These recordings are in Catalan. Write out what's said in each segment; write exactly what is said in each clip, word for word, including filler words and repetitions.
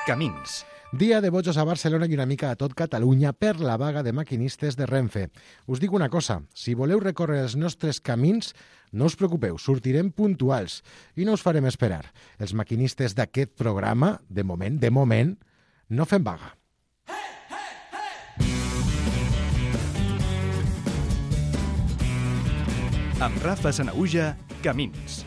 Camins. Dia de bojos a Barcelona i una mica a tot Catalunya per la vaga de maquinistes de Renfe. Us dic una cosa, si voleu recórrer els nostres camins, no us preocupeu, sortirem puntuals i no us farem esperar. Els maquinistes d'aquest programa, de moment, de moment, no fem vaga. Amb Rafa Sanahuja, Camins.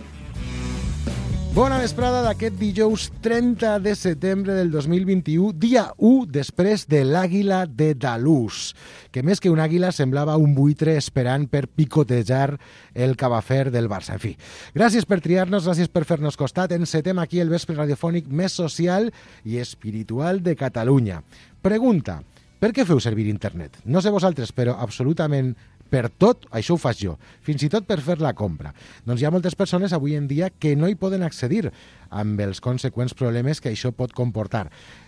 Bona vesprada d'aquest dijous trenta de setembre del dos mil vint-i-u, dia u després de l'àguila de Dalús, que més que un àguila semblava un buitre esperant per picotejar el cabafer del Barça. En fi, gràcies per triar-nos, gràcies per fer-nos costat. Encetem aquí el vespre radiofònic més social i espiritual de Catalunya. Pregunta, per què feu servir internet? No sé vosaltres, però absolutament per tot, això ho faig jo, fins i tot per fer la compra. Doncs hi ha moltes persones avui en dia que no hi poden accedir amb els conseqüents problemes que això pot comportar.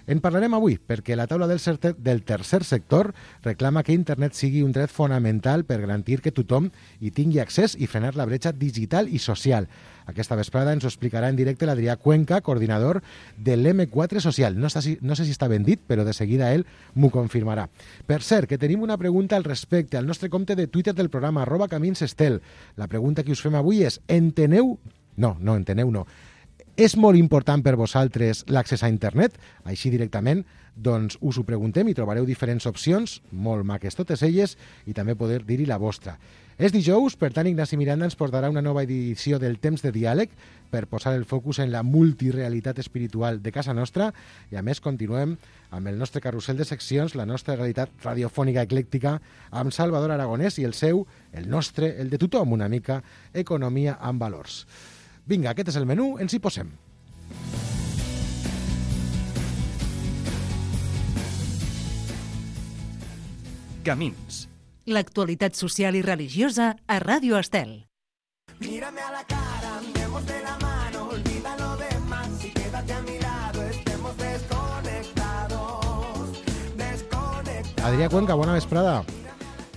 En parlarem avui, perquè la taula del, certer, del tercer sector reclama que internet sigui un dret fonamental per garantir que tothom hi tingui accés i frenar la bretxa digital i social. Aquesta vesprada ens ho explicarà en directe l'Adrià Cuenca, coordinador de l'M quatre Social. No, està, no sé si està ben dit, però de seguida ell m'ho confirmarà. Per cert, que tenim una pregunta al respecte al nostre compte de Twitter del programa, arroba caminsestel. La pregunta que us fem avui és, enteneu? No, no, enteneu no. És molt important per vosaltres l'accés a internet? Així directament, doncs us ho preguntem i trobareu diferents opcions, molt maques totes elles, i també poder dir-hi la vostra. És dijous, per tant Ignasi Miranda ens portarà una nova edició del Temps de Diàleg per posar el focus en la multirealitat espiritual de casa nostra i a més continuem amb el nostre carrusel de seccions, la nostra realitat radiofònica eclèctica amb Salvador Aragonès i el seu, el nostre, el de tothom una mica, economia amb valors. Vinga, aquest és el menú, ens hi posem. Camins. L'actualitat social i religiosa a Ràdio Estel. Mírame a la cara, andemos de la mano, olvida lo demás y quédate a mi lado, estemos desconectados, desconectados. Adrià Cuenca, bona vesprada.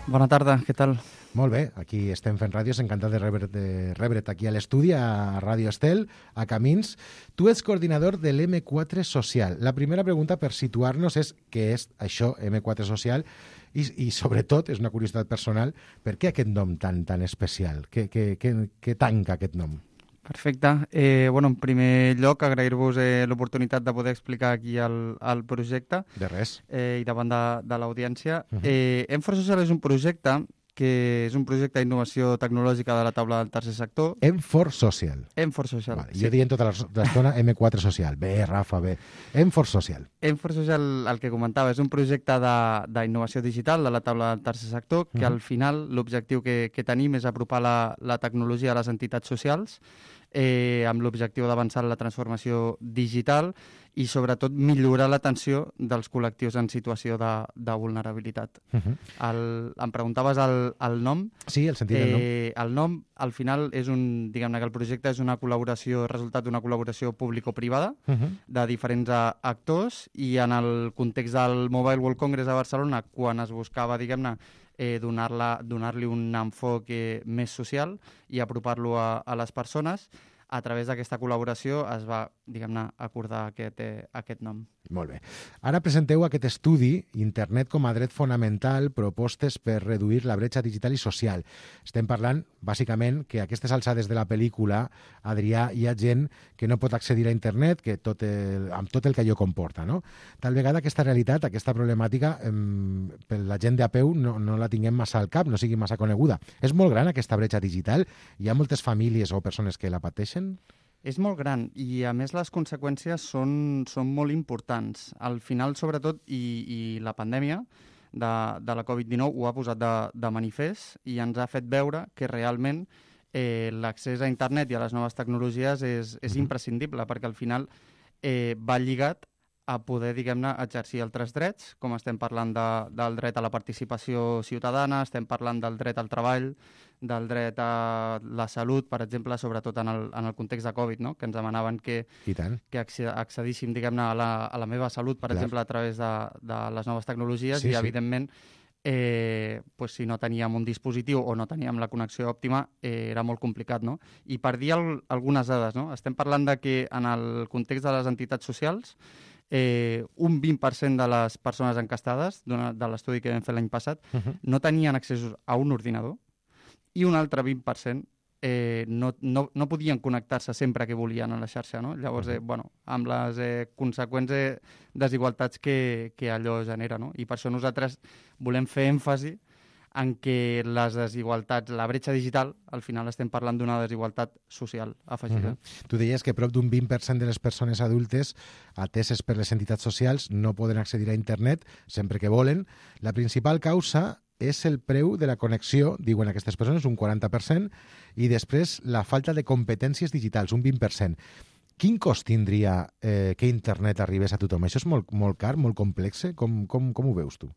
Bona tarda, què tal? Molt bé, aquí estem fent ràdios, encantat de, rebre, de rebre't aquí a l'estudi, a Ràdio Estel, a Camins. Tu ets coordinador de l'M quatre Social. La primera pregunta per situar-nos és què és això, M quatre Social, i, i sobretot, és una curiositat personal, per què aquest nom tan tan especial? Què, què, què, què tanca aquest nom? Perfecte. Eh, bueno, en primer lloc, agrair-vos eh, l'oportunitat de poder explicar aquí el, el projecte. De res. Eh, I davant de, de l'audiència. Uh -huh. eh, M quatre Social és un projecte que és un projecte d'innovació tecnològica de la taula del tercer sector. M quatre Social. M quatre Social. Vale, sí. Jo dient tota l'estona M quatre Social. Bé, Rafa, bé. M quatre Social. M quatre Social, el que comentava, és un projecte d'innovació digital de la taula del tercer sector que uh -huh. al final l'objectiu que, que tenim és apropar la, la tecnologia a les entitats socials eh, amb l'objectiu d'avançar en la transformació digital i sobretot millorar l'atenció dels col·lectius en situació de, de vulnerabilitat. Uh -huh. el, em preguntaves el, el nom. Sí, el sentit del nom. Eh, el nom, al final, és un, diguem-ne que el projecte és una col·laboració, resultat d'una col·laboració público-privada Uh -huh. de diferents a, actors i en el context del Mobile World Congress a Barcelona, quan es buscava, diguem-ne, eh, donar-la, donar-li un enfoc eh, més social i apropar-lo a, a les persones, a través d'aquesta col·laboració es va, diguem-ne, acordar aquest, eh, aquest nom. Molt bé. Ara presenteu aquest estudi, Internet com a dret fonamental, propostes per reduir la bretxa digital i social. Estem parlant, bàsicament, que a aquestes alçades de la pel·lícula, Adrià, hi ha gent que no pot accedir a internet, que tot el, amb tot el que allò comporta, no? Tal vegada aquesta realitat, aquesta problemàtica, eh, per la gent de a peu no, no la tinguem massa al cap, no sigui massa coneguda. És molt gran aquesta bretxa digital? Hi ha moltes famílies o persones que la pateixen? És molt gran i, a més, les conseqüències són, són molt importants. Al final, sobretot, i, i la pandèmia de, de la covid dinou ho ha posat de, de manifest i ens ha fet veure que realment eh, l'accés a internet i a les noves tecnologies és, és imprescindible, perquè al final eh, va lligat a poder, diguem-ne, exercir altres drets, com estem parlant de, del dret a la participació ciutadana, estem parlant del dret al treball, del dret a la salut, per exemple, sobretot en el, en el context de Covid, no? Que ens demanaven que, I tant. que accedíssim, diguem-ne, a, la, a la meva salut, per Clar. exemple, a través de, de les noves tecnologies, Sí, i, sí. evidentment, eh, pues, si no teníem un dispositiu o no teníem la connexió òptima, eh, era molt complicat, no? I per dir al, algunes dades, no? Estem parlant de que en el context de les entitats socials eh, un vint per cent de les persones encastades de l'estudi que vam fer l'any passat uh-huh. no tenien accessos a un ordinador i un altre vint per cent eh, no, no, no podien connectar-se sempre que volien a la xarxa, no? Llavors, eh, bueno, amb les eh, conseqüents eh, desigualtats que, que allò genera, no? I per això nosaltres volem fer èmfasi en què les desigualtats, la bretxa digital, al final estem parlant d'una desigualtat social afegida. Uh-huh. Tu deies que prop d'un vint per cent de les persones adultes ateses per les entitats socials no poden accedir a internet sempre que volen. La principal causa és el preu de la connexió, diuen aquestes persones, un quaranta per cent, i després la falta de competències digitals, un vint per cent. Quin cost tindria eh, que internet arribés a tothom? Això és molt, molt car, molt complex? Com, com, com ho veus tu?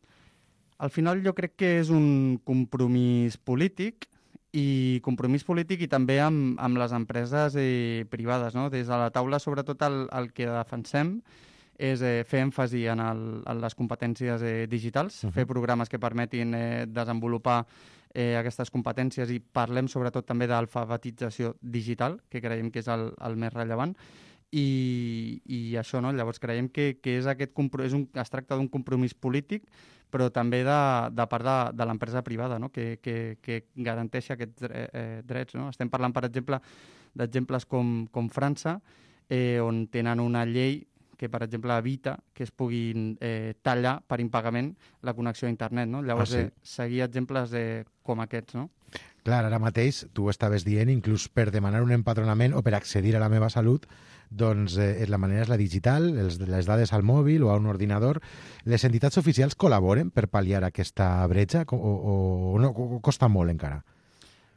Al final jo crec que és un compromís polític i compromís polític i també amb, amb les empreses eh, privades, no? Des de la taula, sobretot, el, el que defensem és eh, fer èmfasi en, el, en les competències eh, digitals, uh-huh. fer programes que permetin eh, desenvolupar eh, aquestes competències i parlem sobretot també d'alfabetització digital, que creiem que és el, el més rellevant, i, i això, no? Llavors creiem que, que és aquest és un, es tracta d'un compromís polític, però també de, de part de, de l'empresa privada, no? que, que, que garanteixi aquests eh, drets. No? Estem parlant, per exemple, d'exemples com, com França, eh, on tenen una llei que, per exemple, evita que es puguin eh, tallar per impagament la connexió a internet. No? Llavors, ah, sí? eh, seguir exemples eh, com aquests, no? Clar, ara mateix tu estaves dient, inclús per demanar un empadronament o per accedir a la meva salut, doncs eh, la manera és la digital, els, les dades al mòbil o a un ordinador. Les entitats oficials col·laboren per pal·liar aquesta bretxa o, o, o no, o costa molt encara?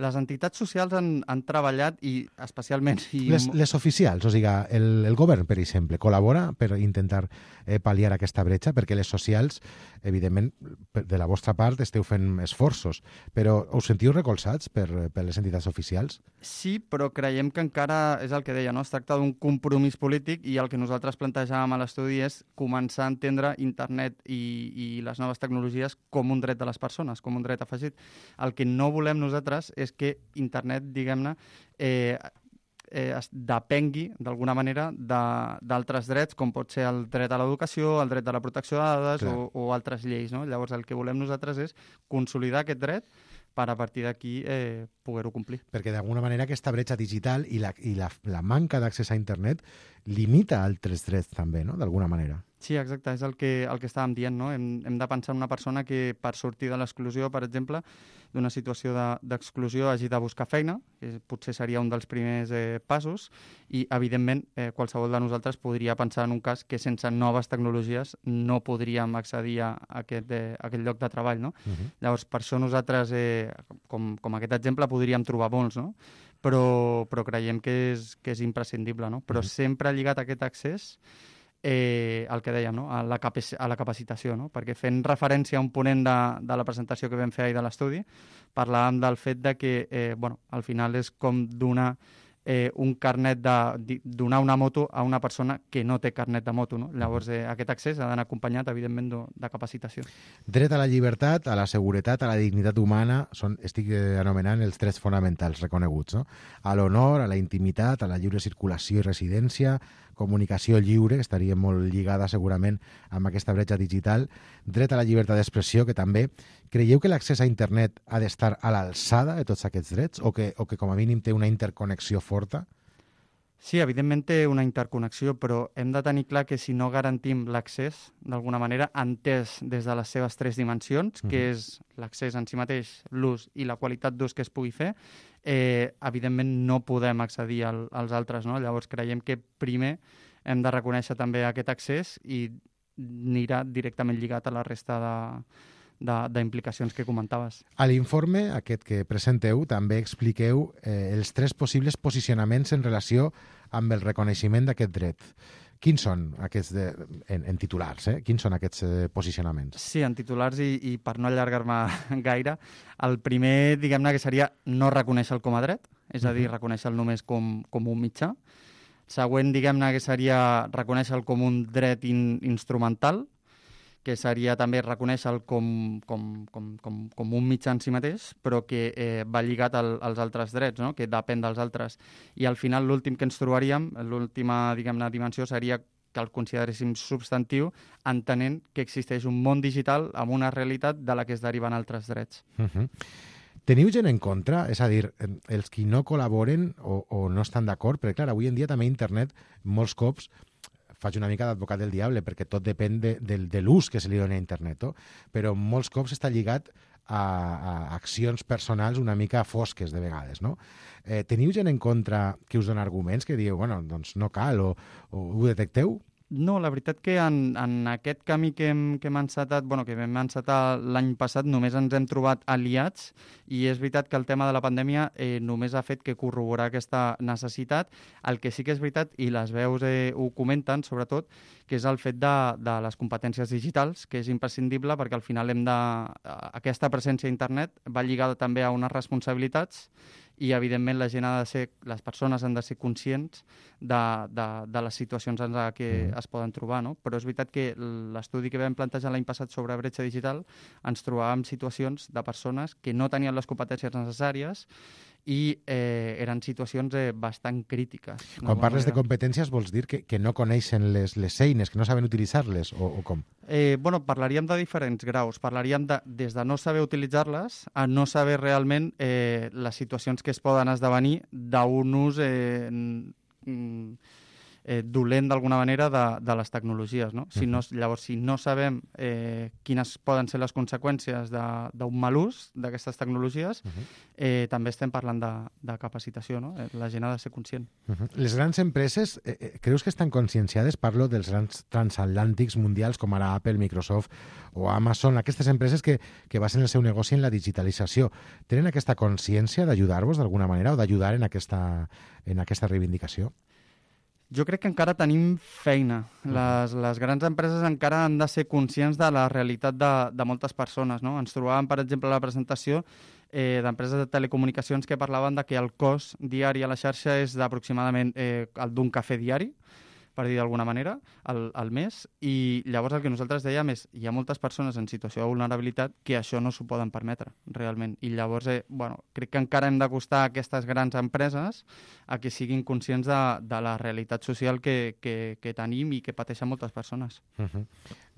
Les entitats socials han, han treballat i especialment... I... Les, les oficials, o sigui, el, el govern, per exemple, col·labora per intentar eh, pal·liar aquesta bretxa, perquè les socials, evidentment, de la vostra part esteu fent esforços, però us sentiu recolzats per, per les entitats oficials? Sí, però creiem que encara és el que deia, no? Es tracta d'un compromís polític i el que nosaltres plantejàvem a l'estudi és començar a entendre internet i, i les noves tecnologies com un dret de les persones, com un dret afegit. El que no volem nosaltres és que internet, diguem-ne, eh, eh, es depengui, d'alguna manera, d'altres drets, com pot ser el dret a l'educació, el dret a la protecció de dades o, o altres lleis. No? Llavors, el que volem nosaltres és consolidar aquest dret per a partir d'aquí eh, poder-ho complir. Perquè d'alguna manera aquesta bretxa digital i la, i la, la manca d'accés a internet limita altres drets també, no? D'alguna manera. Sí, exacte, és el que, el que estàvem dient, no? Hem, hem de pensar en una persona que per sortir de l'exclusió, per exemple, d'una situació d'exclusió de, hagi de buscar feina, que potser seria un dels primers eh, passos, i evidentment eh, qualsevol de nosaltres podria pensar en un cas que sense noves tecnologies no podríem accedir a aquest, eh, a aquest lloc de treball, no? Uh-huh. Llavors, per això nosaltres, eh, com, com aquest exemple, podríem trobar molts, no? Però, però creiem que és, que és imprescindible, no? Però uh-huh. sempre lligat a aquest accés Eh, el que dèiem, no? a, la a la capacitació, no? Perquè fent referència a un ponent de, de la presentació que vam fer ahir de l'estudi, parlàvem del fet de que eh, bueno, al final és com donar eh, un carnet de donar una moto a una persona que no té carnet de moto. No? Llavors eh, aquest accés ha d'anar acompanyat, evidentment, de, de capacitació. Dret a la llibertat, a la seguretat, a la dignitat humana, són, estic anomenant els drets fonamentals reconeguts, no? A l'honor, a la intimitat, a la lliure circulació i residència, comunicació lliure, que estaria molt lligada segurament amb aquesta bretxa digital, dret a la llibertat d'expressió, que també creieu que l'accés a internet ha d'estar a l'alçada de tots aquests drets o que, o que com a mínim té una interconnexió forta? Sí, evidentment té una interconnexió, però hem de tenir clar que si no garantim l'accés, d'alguna manera, entès des de les seves tres dimensions, que uh-huh. és l'accés en si mateix, l'ús i la qualitat d'ús que es pugui fer, eh, evidentment no podem accedir al, als altres. No? Llavors creiem que primer hem de reconèixer també aquest accés i anirà directament lligat a la resta de... d'implicacions que comentaves. A l'informe aquest que presenteu també expliqueu eh, els tres possibles posicionaments en relació amb el reconeixement d'aquest dret. Quins són aquests, de, en, en titulars, eh? Quins són aquests eh, posicionaments? Sí, en titulars i, i per no allargar-me gaire, el primer, diguem-ne, que seria no reconèixer-lo com a dret, és a dir, uh-huh. reconèixer-lo només com, com un mitjà. Següent, diguem-ne, que seria reconèixer-lo com un dret in, instrumental, que seria també reconèixer-lo com, com, com, com, com un mitjà en si mateix, però que eh, va lligat al, als altres drets, no? Que depèn dels altres. I al final l'últim que ens trobaríem, l'última, diguem-ne, dimensió seria que el consideréssim substantiu, entenent que existeix un món digital amb una realitat de la que es deriven altres drets. Uh-huh. Teniu gent en contra? És a dir, els qui no col·laboren o, o no estan d'acord? Perquè, clar, avui en dia també internet, molts cops, faig una mica d'advocat del diable, perquè tot depèn de, de, de l'ús que se li dona a internet, no? Però molts cops està lligat a, a accions personals una mica fosques, de vegades, no? Eh, teniu gent en contra que us dona arguments que diu, bueno, doncs no cal, o, o ho detecteu? No, la veritat que en, en aquest camí que hem, que hem encetat, bueno, que vam encetar l'any passat, només ens hem trobat aliats, i és veritat que el tema de la pandèmia eh, només ha fet que corroborar aquesta necessitat. El que sí que és veritat, i les veus eh, ho comenten, sobretot, que és el fet de, de les competències digitals, que és imprescindible perquè al final hem de... aquesta presència a internet va lligada també a unes responsabilitats, i evidentment la gent ha de ser, les persones han de ser conscients de, de, de les situacions en les que es poden trobar, no? Però és veritat que l'estudi que vam plantejar l'any passat sobre bretxa digital ens trobàvem situacions de persones que no tenien les competències necessàries i eh, eren situacions eh, bastant crítiques. Quan parles de competències vols dir que, que no coneixen les, les eines, que no saben utilitzar-les, o, o com? Eh, bueno, parlaríem de diferents graus. Parlaríem de, des de no saber utilitzar-les a no saber realment eh, les situacions que es poden esdevenir d'un ús eh, eh, dolent d'alguna manera de, de les tecnologies, no? Si no, llavors, si no sabem eh, quines poden ser les conseqüències d'un mal ús d'aquestes tecnologies, uh-huh. eh, també estem parlant de, de capacitació, no? La gent ha de ser conscient. Uh-huh. Les grans empreses, eh, creus que estan conscienciades? Parlo dels grans transatlàntics mundials com ara Apple, Microsoft o Amazon, aquestes empreses que, que basen el seu negoci en la digitalització. Tenen aquesta consciència d'ajudar-vos d'alguna manera o d'ajudar en aquesta, en aquesta reivindicació? Jo crec que encara tenim feina. Les, les grans empreses encara han de ser conscients de la realitat de, de moltes persones, no? Ens trobàvem, per exemple, a la presentació eh, d'empreses de telecomunicacions que parlaven de que el cost diari a la xarxa és d'aproximadament eh, el d'un cafè diari, per dir d'alguna manera, al, al mes, i llavors el que nosaltres dèiem és hi ha moltes persones en situació de vulnerabilitat que això no s'ho poden permetre, realment. I llavors, eh, bueno, crec que encara hem d'acostar aquestes grans empreses a que siguin conscients de, de la realitat social que, que, que tenim i que pateixen moltes persones. Uh-huh.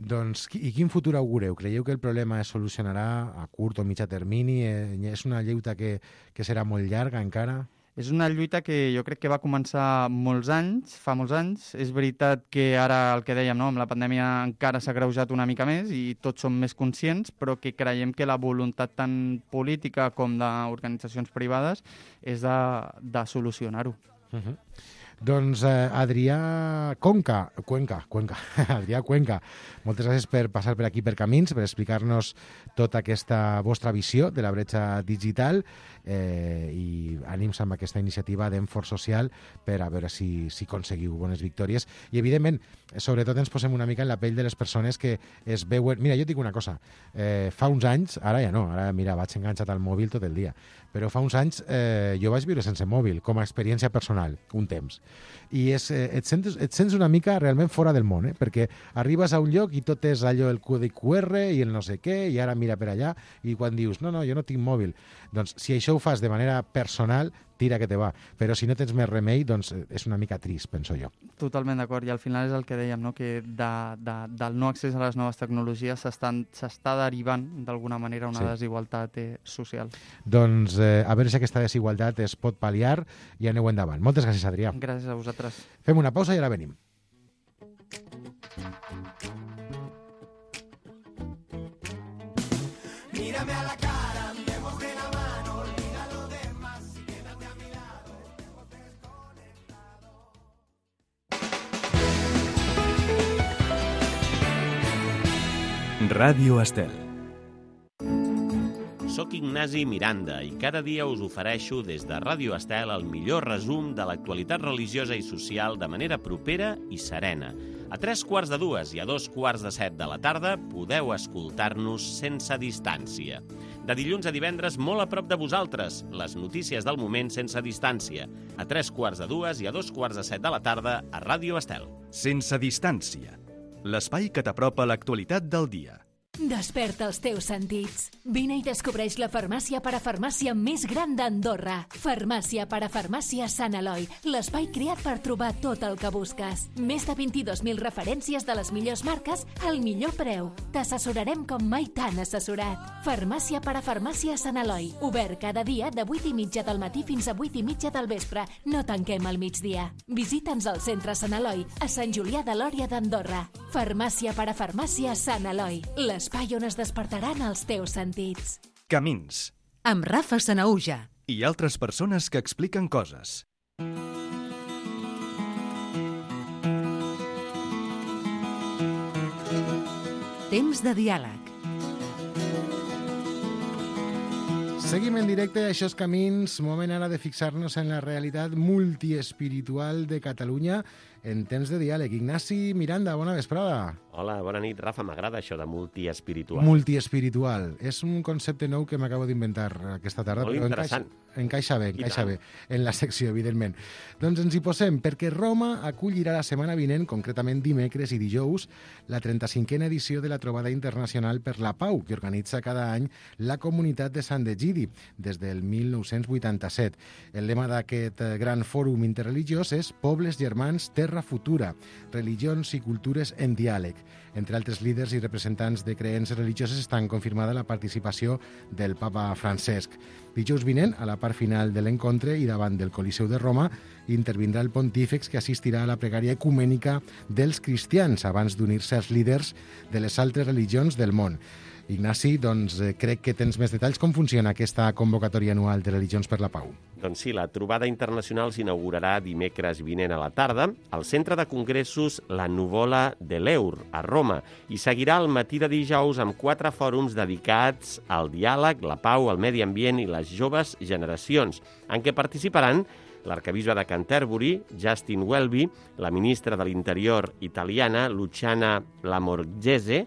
Doncs, i quin futur augureu? Creieu que el problema es solucionarà a curt o mitjà termini? Eh, és una lluita que, que serà molt llarga encara? És una lluita que jo crec que va començar molts anys, fa molts anys. És veritat que ara, el que dèiem, no? Amb la pandèmia encara s'ha agreujat una mica més i tots som més conscients, però que creiem que la voluntat tant política com d'organitzacions privades és de, de solucionar-ho. Uh-huh. Doncs eh, Adrià Conca, Cuenca, Cuenca, Adrià Cuenca, moltes gràcies per passar per aquí per Camins, per explicar-nos tota aquesta vostra visió de la bretxa digital eh, i ànims amb aquesta iniciativa d'Enforç Social per a veure si, si aconseguiu bones victòries. I, evidentment, sobretot ens posem una mica en la pell de les persones que es veuen... Mira, jo et dic una cosa, eh, fa uns anys, ara ja no, ara mira, vaig enganxat al mòbil tot el dia, però fa uns anys eh, jo vaig viure sense mòbil, com a experiència personal, un temps. I és, eh, et, sents, et sents una mica realment fora del món, eh? Perquè arribes a un lloc i tot és allò, el codi Q R i el no sé què, i ara mira per allà, i quan dius, no, no, jo no tinc mòbil, doncs si això ho fas de manera personal, tira que te va. Però si no tens més remei, doncs és una mica trist, penso jo. Totalment d'acord, i al final és el que dèiem, no? Que de, de, del no accés a les noves tecnologies s'està derivant d'alguna manera una sí. desigualtat eh, social. Doncs eh, a veure si aquesta desigualtat es pot pal·liar i aneu endavant. Moltes gràcies, Adrià. Gràcies a vosaltres. Fem una pausa i ara venim. Mírame a la cara, andemos de la mano, olvida lo demás y quédate a mi lado, estemos desconectados. Ràdio Estel. Soc Ignasi Miranda i cada dia us ofereixo des de Ràdio Estel el millor resum de l'actualitat religiosa i social de manera propera i serena. A tres quarts de dues i a dos quarts de set de la tarda podeu escoltar-nos sense distància. De dilluns a divendres, molt a prop de vosaltres, les notícies del moment sense distància. A tres quarts de dues i a dos quarts de set de la tarda a Ràdio Estel. Sense distància. L'espai que t'apropa l'actualitat del dia. Desperta els teus sentits. Vine i descobreix la farmàcia parafarmàcia més gran d'Andorra. Farmàcia parafarmàcia Sant Eloi, l'espai creat per trobar tot el que busques. Més de vint-i-dos mil referències de les millors marques al millor preu. T'assessorarem com mai t'han assessorat. Farmàcia parafarmàcia Sant Eloi, obert cada dia de vuit i mitja del matí fins a vuit i mitja del vespre. No tanquem al migdia. Visita'ns al centre Sant Eloi, a Sant Julià de Lòria d'Andorra. Farmàcia parafarmàcia Sant Eloi, l'espai on es despertaran els teus sentits. Camins. Amb Rafa Sanaúja. I altres persones que expliquen coses. Temps de diàleg. Seguim en directe, això és Camins, moment ara de fixar-nos en la realitat multiespiritual de Catalunya en temps de diàleg. Ignasi Miranda, bona vesprada. Hola, bona nit, Rafa. M'agrada això de multiespiritual. Multiespiritual. És un concepte nou que m'acabo d'inventar aquesta tarda. Molt però interessant. Encaixa, encaixa bé, encaixa bé en la secció, evidentment. Doncs ens hi posem, perquè Roma acollirà la setmana vinent, concretament dimecres i dijous, la trenta-cinquena edició de la Trobada Internacional per la Pau, que organitza cada any la comunitat de Sant Egidi, des del mil nou-cents vuitanta-set. El lema d'aquest gran fòrum interreligiós és Pobles germans, terra futura, religions i cultures en diàleg. Entre altres líders i representants de creences religioses estan confirmada la participació del papa Francesc. Dijous vinent, a la part final de l'encontre i davant del Coliseu de Roma, intervindrà el pontífex que assistirà a la pregària ecumènica dels cristians abans d'unir-se als líders de les altres religions del món. Ignasi, doncs eh, crec que tens més detalls. Com funciona aquesta convocatòria anual de Religions per la Pau? Doncs sí, la trobada internacional s'inaugurarà dimecres vinent a la tarda al Centre de Congressos La Nuvola de l'Eur, a Roma, i seguirà el matí de dijous amb quatre fòrums dedicats al diàleg, la pau, el medi ambient i les joves generacions, en què participaran l'arcabisbe de Canterbury, Justin Welby, la ministra de l'Interior italiana, Luciana Lamorgese,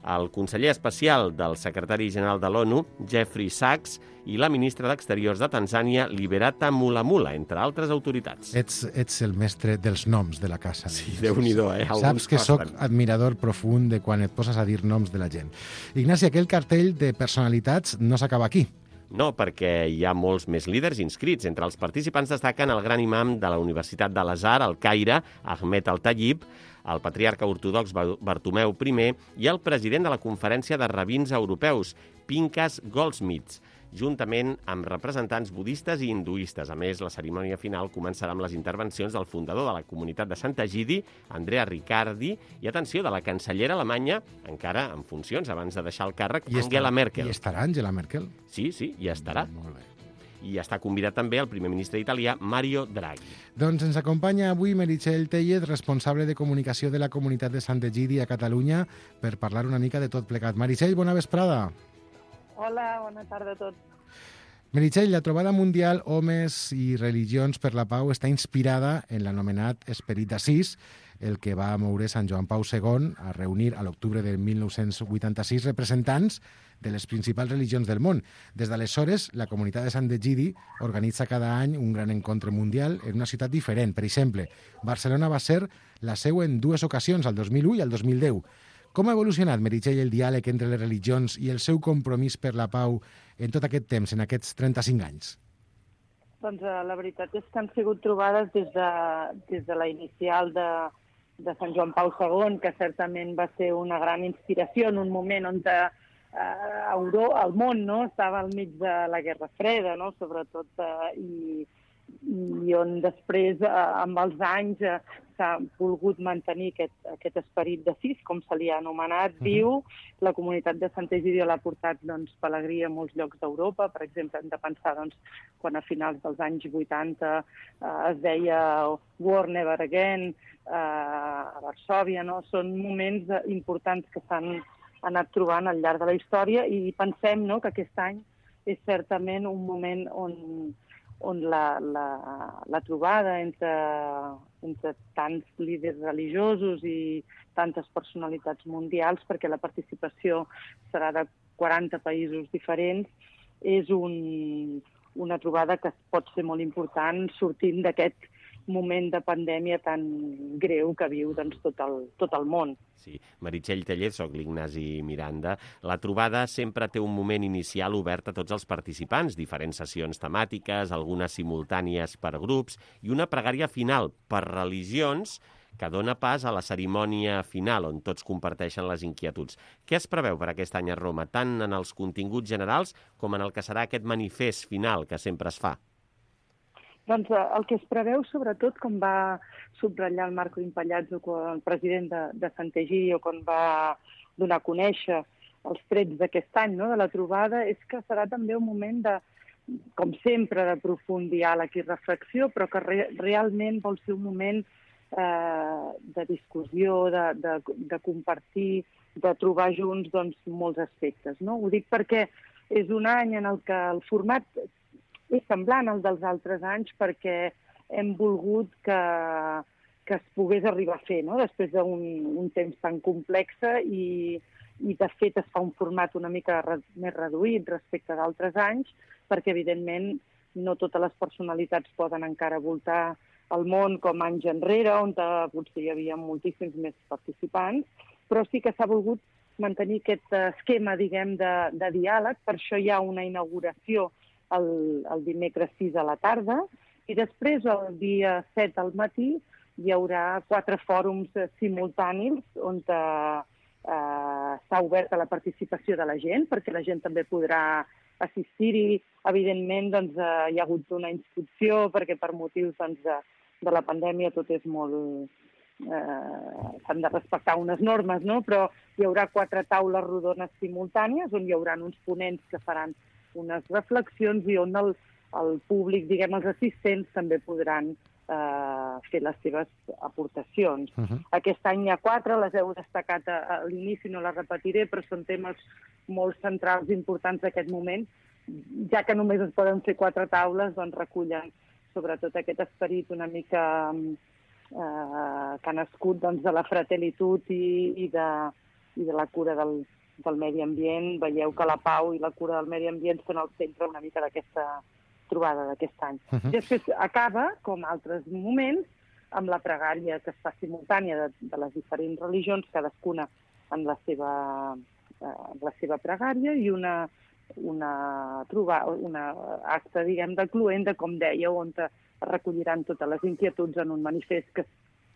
el conseller especial del secretari general de l'ONU, Jeffrey Sachs, i la ministra d'Exteriors de Tanzània, Liberata Mulamula, entre altres autoritats. Ets, ets el mestre dels noms de la casa. Sí, Déu-n'hi-do, eh? Saps Alguns que sóc costen. admirador profund de quan et poses a dir noms de la gent. Ignasi, aquell cartell de personalitats no s'acaba aquí. No, perquè hi ha molts més líders inscrits. Entre els participants destaquen el gran imam de la Universitat de l'Azhar, al Caire, Ahmed Al-Tayyib, el patriarca ortodox Bartomeu I i el president de la Conferència de Rabins Europeus, Pinchas Goldsmith, juntament amb representants budistes i hinduistes. A més, la cerimònia final començarà amb les intervencions del fundador de la comunitat de Sant Egidi, Andrea Riccardi, i, atenció, de la cancellera alemanya, encara en funcions, abans de deixar el càrrec, I Angela estarà, Merkel. I estarà Angela Merkel? Sí, sí, hi estarà. Molt bé. I està convidat també el primer ministre italià, Mario Draghi. Doncs ens acompanya avui Meritxell Tellez, responsable de comunicació de la comunitat de Sant Egidi a Catalunya, per parlar una mica de tot plegat. Meritxell, bona vesprada. Hola, bona tarda a tots. Meritxell, la trobada mundial Homes i Religions per la Pau està inspirada en l'anomenat Esperit d'Assís, el que va moure Sant Joan Pau segon a reunir a l'octubre de mil nou-cents vuitanta-sis representants de les principals religions del món. Des d'aleshores, la comunitat de Sant Egidi organitza cada any un gran encontre mundial en una ciutat diferent. Per exemple, Barcelona va ser la seu en dues ocasions, el dos mil u i el dos mil deu. Com ha evolucionat, Meritxell, el diàleg entre les religions i el seu compromís per la pau en tot aquest temps, en aquests trenta-cinc anys? Doncs uh, la veritat és que han sigut trobades des de, des de la inicial de, de Sant Joan Pau segon, que certament va ser una gran inspiració en un moment on uh, Euro, el món no, estava al mig de la Guerra Freda, no, sobretot, uh, i, i on després, uh, amb els anys, uh, s'ha volgut mantenir aquest, aquest esperit de sis, com se li ha anomenat, uh-huh. viu. La comunitat de Sant Egidi l'ha portat doncs, pelegrí a molts llocs d'Europa. Per exemple, hem de pensar doncs, quan a finals dels anys vuitanta eh, es deia War Never Again eh, a Varsòvia. No? Són moments importants que s'han anat trobant al llarg de la història i pensem no, que aquest any és certament un moment on on la, la, la trobada entre, entre tants líders religiosos i tantes personalitats mundials, perquè la participació serà de quaranta països diferents, és un, una trobada que pot ser molt important sortint d'aquest moment de pandèmia tan greu que viu doncs, tot, el, tot el món. Sí, Meritxell Tellez, soc l'Ignasi Miranda. La trobada sempre té un moment inicial obert a tots els participants, diferents sessions temàtiques, algunes simultànies per grups i una pregària final per religions que dona pas a la cerimònia final, on tots comparteixen les inquietuds. Què es preveu per aquest any a Roma, tant en els continguts generals com en el que serà aquest manifest final que sempre es fa? Doncs el que es preveu, sobretot, com va subratllar el Marco Impallazzo, el president de, de Sant'Egidio, quan va donar a conèixer els trets d'aquest any, no?, de la trobada, és que serà també un moment de, com sempre, de profund diàleg i reflexió, però que re, realment vol ser un moment eh, de discussió, de, de, de compartir, de trobar junts doncs, molts aspectes. No? Ho dic perquè és un any en el que el format és semblant al dels altres anys perquè hem volgut que, que es pogués arribar a fer, no? Després d'un un temps tan complex i, i de fet es fa un format una mica re, més reduït respecte d'altres anys perquè evidentment no totes les personalitats poden encara voltar el món com anys enrere, on potser hi havia moltíssims més participants, però sí que s'ha volgut mantenir aquest esquema, diguem, de, de diàleg. Per això hi ha una inauguració El, el dimecres sis a la tarda, i després el dia set al matí hi haurà quatre fòrums simultanis on eh, s'ha obert a la participació de la gent, perquè la gent també podrà assistir-hi. Evidentment, doncs, eh, hi ha hagut una inscripció, perquè per motius doncs, de, de la pandèmia tot és molt... Eh, s'han de respectar unes normes, no? Però hi haurà quatre taules rodones simultànies on hi haurà uns ponents que faran unes reflexions i on el, el públic, diguem, els assistents també podran eh, fer les seves aportacions. Uh-huh. Aquest any hi ha quatre, les heu destacat a, a l'inici, no les repetiré, però són temes molt centrals i importants d'aquest moment. Ja que només es poden fer quatre taules, doncs recullen sobretot aquest esperit una mica eh, que ha nascut doncs, de la fraternitat i, i, de, i de la cura del del medi ambient. Veieu que la pau i la cura del medi ambient són al centre una mica d'aquesta trobada d'aquest any. Uh-huh. Després acaba, com altres moments, amb la pregària que es fa simultània de, de les diferents religions, cadascuna en la seva, eh, la seva pregària, i una, una, trobar, una acte, diguem, de cluent, com dèieu, on es recolliran totes les inquietuds en un manifest que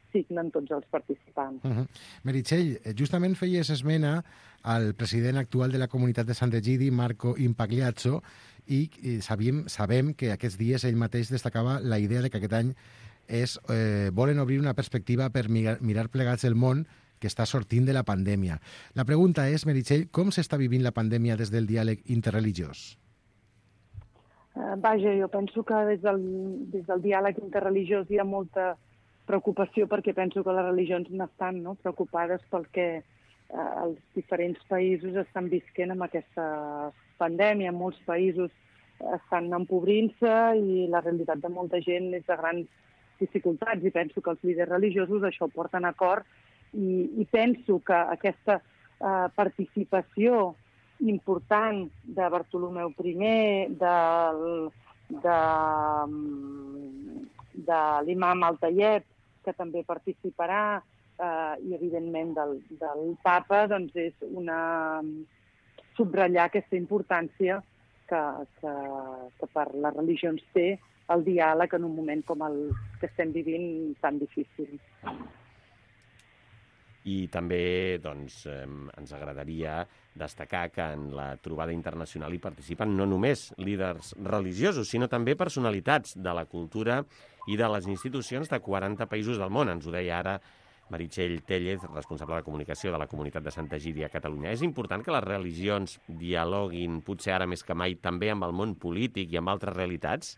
signen tots els participants. Uh-huh. Meritxell, justament feies esmena al president actual de la comunitat de Sant'Egidi, Marco Impagliazzo, i, i sabíem, sabem que aquests dies ell mateix destacava la idea de que aquest any és, eh, volen obrir una perspectiva per mirar, mirar plegats el món que està sortint de la pandèmia. La pregunta és, Meritxell, com s'està vivint la pandèmia des del diàleg interreligiós? Uh, vaja, jo penso que des del, des del diàleg interreligiós hi ha molta preocupació perquè penso que les religions n'estan no? preocupades pel que eh, els diferents països estan visquent amb aquesta pandèmia. Molts països estan empobrint-se i la realitat de molta gent és de grans dificultats i penso que els líders religiosos això ho porten a cor i, i penso que aquesta eh, participació important de Bartolomeu primer, del, de, de l'imam Al-Tayeb, que també participarà, eh, i evidentment del, del papa, doncs és una subratllar aquesta importància que, que, que per les religions té el diàleg en un moment com el que estem vivint tan difícil. I també doncs, eh, ens agradaria destacar que en la trobada internacional hi participen no només líders religiosos, sinó també personalitats de la cultura i de les institucions de quaranta països del món. Ens ho deia ara Meritxell Tellez, responsable de comunicació de la comunitat de Sant'Egidi a Catalunya. És important que les religions dialoguin, potser ara més que mai, també amb el món polític i amb altres realitats?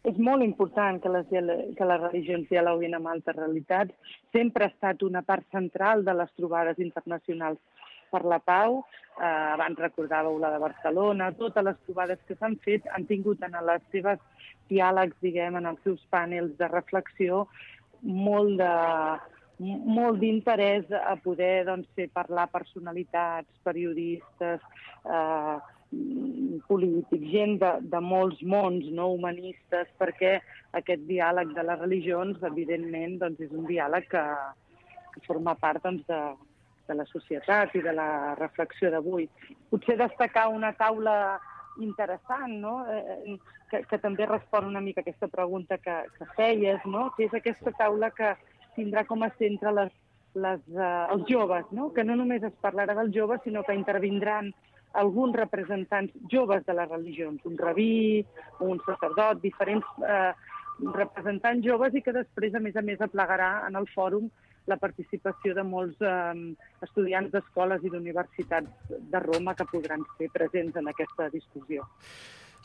És molt important que les, que les religions dialoguin amb altres realitats. Sempre ha estat una part central de les trobades internacionals per la pau. Eh, abans recordàveu la de Barcelona. Totes les trobades que s'han fet han tingut en les seves diàlegs, diguem, en els seus panels de reflexió, molt de, molt d'interès a poder doncs, fer parlar personalitats, periodistes, eh, polítics, gent de, de molts mons no humanistes, perquè aquest diàleg de les religions, evidentment, doncs, és un diàleg que, que forma part doncs, de, de la societat i de la reflexió d'avui. Potser destacar una taula interessant, no? eh, que, que també respon una mica a aquesta pregunta que, que feies, no? Que és aquesta taula que tindrà com a centre les, les, uh, els joves, no? Que no només es parlarà dels joves, sinó que intervindran alguns representants joves de les religions, un rabí, un sacerdot, diferents eh, representants joves, i que després, a més a més, aplegarà en el fòrum la participació de molts eh, estudiants d'escoles i d'universitats de Roma que podran ser presents en aquesta discussió.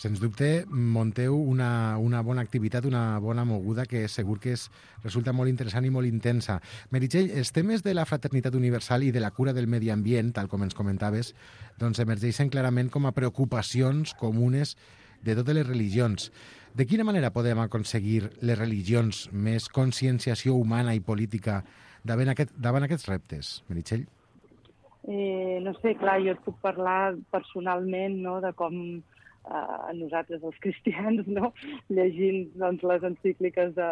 Sens dubte, munteu una, una bona activitat, una bona moguda que segur que és, resulta molt interessant i molt intensa. Meritxell, els temes de la fraternitat universal i de la cura del medi ambient, tal com ens comentaves, doncs emergeixen clarament com a preocupacions comunes de totes les religions. De quina manera podem aconseguir les religions més conscienciació humana i política davant, aquest, davant aquests reptes, Meritxell? Eh, no sé, clar, jo et puc parlar personalment, no?, de com Uh, nosaltres, els cristians, no? Llegint doncs, les encícliques de,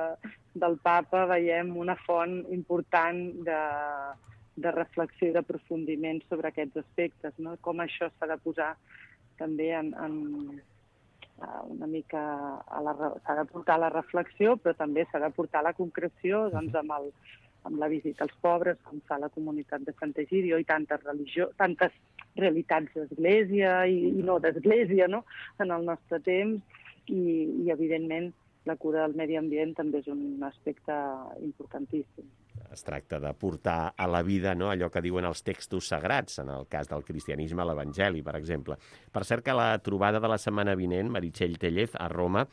del papa, veiem una font important de, de reflexió i d'aprofundiment sobre aquests aspectes, no? Com això s'ha de posar també en, en uh, una mica a la, s'ha de portar a la reflexió, però també s'ha de portar a la concreció, doncs, amb, el, amb la visita als pobres, com fa la comunitat de Sant'Egidio, i tantes religions, tantes realitats d'església i, i no d'església, no?, en el nostre temps, i, i evidentment la cura del medi ambient també és un aspecte importantíssim. Es tracta de portar a la vida, no?, allò que diuen els textos sagrats, en el cas del cristianisme, l'Evangeli, per exemple. Per cert que la trobada de la setmana vinent, Meritxell Tellez, a Roma,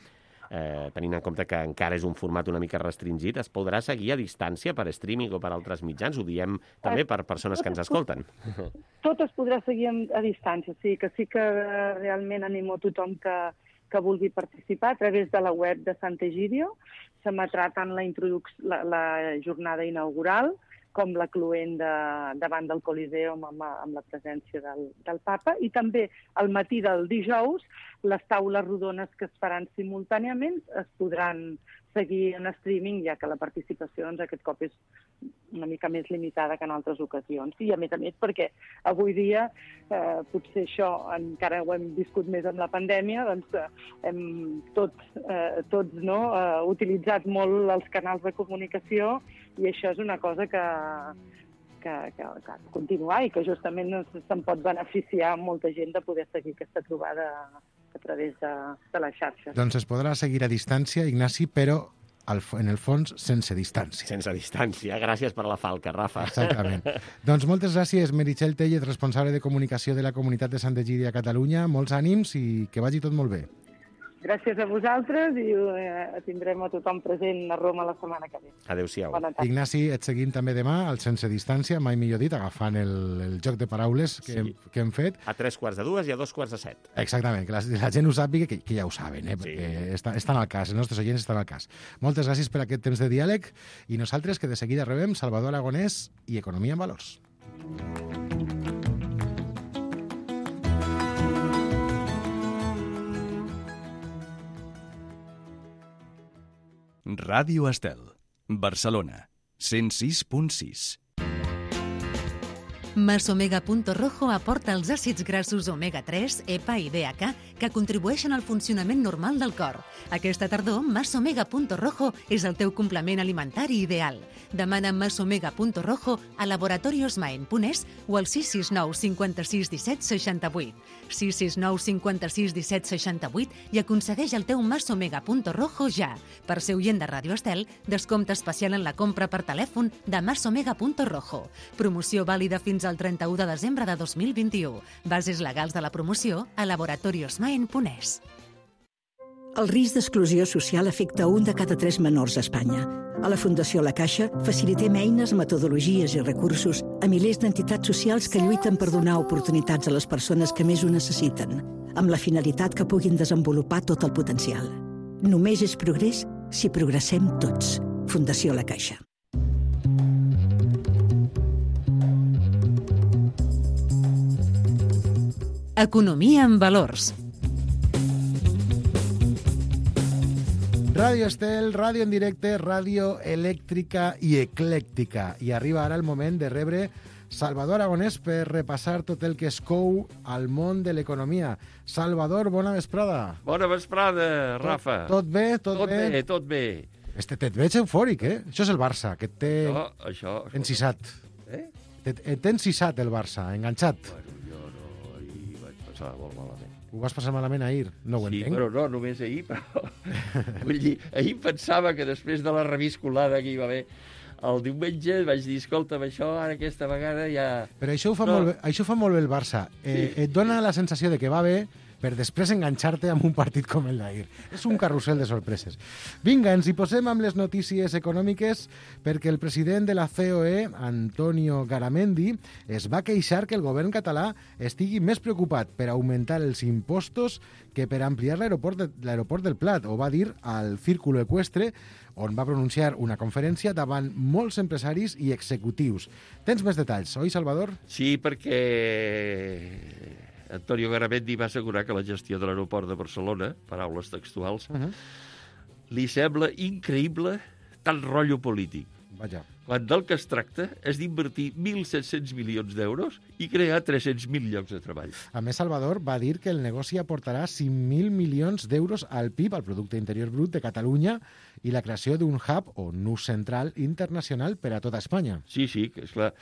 Eh, tenint en compte que encara és un format una mica restringit, es podrà seguir a distància per streaming o per altres mitjans? Ho diem també per persones que ens escolten. Tot es podrà seguir a distància, sí, que sí que realment animo tothom que, que vulgui participar a través de la web de Sant'Egidio. S'emetrà tant la, la, la jornada inaugural com la cloent de, davant del Coliseum amb, amb la presència del, del papa, i també al matí del dijous les taules rodones que es faran simultàniament es podran seguir en streaming, ja que la participació doncs, aquest cop és una mica més limitada que en altres ocasions. I a més a més perquè avui dia, eh, potser això encara ho hem viscut més amb la pandèmia, doncs eh, hem tots, eh, tots no, eh, utilitzat molt els canals de comunicació, i això és una cosa que, que, que, que ha de continuar i que justament se'n pot beneficiar molta gent de poder seguir aquesta trobada a través de, de les xarxes. Doncs es podrà seguir a distància, Ignasi, però al, en el fons sense distància. Sense distància. Gràcies per la falca, Rafa. Exactament. Doncs moltes gràcies, Meritxell Tellez, responsable de comunicació de la comunitat de Sant'Egidio a Catalunya. Molts ànims i que vagi tot molt bé. Gràcies a vosaltres i eh, tindrem a tothom present a Roma la setmana que ve. Adéu-siau. Ignasi, et seguim també demà al Sense Distància, mai millor dit, agafant el, el joc de paraules que, sí. hem, que hem fet. A tres quarts de dues i a dos quarts de set. Exactament, que la, la gent ho sàpiga, que, que ja ho saben, eh, perquè sí. està, estan al cas, els nostres oients estan al cas. Moltes gràcies per aquest temps de diàleg i nosaltres que de seguida rebem Salvador Aragonès i Economia en Valors. Ràdio Estel, Barcelona, cent sis punt sis. Masomega Punto Rojo aporta els àcids grassos omega tres, E P A i D H A que contribueixen al funcionament normal del cor. Aquesta tardor, Masomega Punto Rojo és el teu complement alimentari ideal. Demana Masomega Punto Rojo a Laboratorios Maen Punès o al sis sis nou cinquanta-sis disset seixanta-vuit. sis sis nou cinquanta-sis disset seixanta-vuit i aconsegueix el teu Masomega Punto Rojo ja. Per ser oient de Ràdio Estel, descompte especial en la compra per telèfon de Masomega Punto Rojo. Promoció vàlida fins al trenta-u de desembre de dos mil vint-i-u. Bases legals de la promoció a Laboratorios Maen Punès. El risc d'exclusió social afecta un de cada tres menors a Espanya. A la Fundació La Caixa facilitem eines, metodologies i recursos a milers d'entitats socials que lluiten per donar oportunitats a les persones que més ho necessiten, amb la finalitat que puguin desenvolupar tot el potencial. Només és progrés si progressem tots. Fundació La Caixa. Economia en valors. Ràdio Estel, ràdio en directe, ràdio elèctrica i eclèctica. I arriba ara el moment de rebre Salvador Aragonès per repassar tot el que es cou al món de l'economia. Salvador, bona vesprada. Bona vesprada, Rafa. Tot, tot bé? Tot, tot bé? bé, tot bé. Este, et veig eufòric, eh? Això és el Barça, que et té No, això... encisat. Eh? Et, et té encisat el Barça, enganxat. Bueno, jo no, ahir vaig passar molt malament. Ho vas passar malament ahir? No ho Sí, entenc. però no només ahir, però... Vull dir, ahir pensava que després de la reviscolada que hi va haver el diumenge vaig dir, escolta'm, això ara aquesta vegada ja... Però això ho fa, No. molt, bé, això ho fa molt bé el Barça. Eh, Sí. Et dona la sensació de que va bé per després enganxar-te amb un partit com el d'ahir. És un carrusel de sorpreses. Vinga, ens hi posem amb les notícies econòmiques perquè el president de la C O E, Antonio Garamendi, es va queixar que el govern català estigui més preocupat per augmentar els impostos que per ampliar l'aeroport de, l'aeroport del Plat. Ho va dir al Círculo Ecuestre, on va pronunciar una conferència davant molts empresaris i executius. Tens més detalls, oi, Salvador? Sí, perquè Antonio Garamendi va assegurar que la gestió de l'aeroport de Barcelona, paraules textuals, Uh -huh. li sembla increïble tant rotllo polític. Vaja. Quan del que es tracta és d'invertir mil set-cents milions d'euros i crear tres-cents mil llocs de treball. A més, Salvador va dir que el negoci aportarà cinc mil milions d'euros al P I B, al Producte Interior Brut de Catalunya, i la creació d'un hub o nus central internacional per a tota Espanya. Sí, sí, que és clar.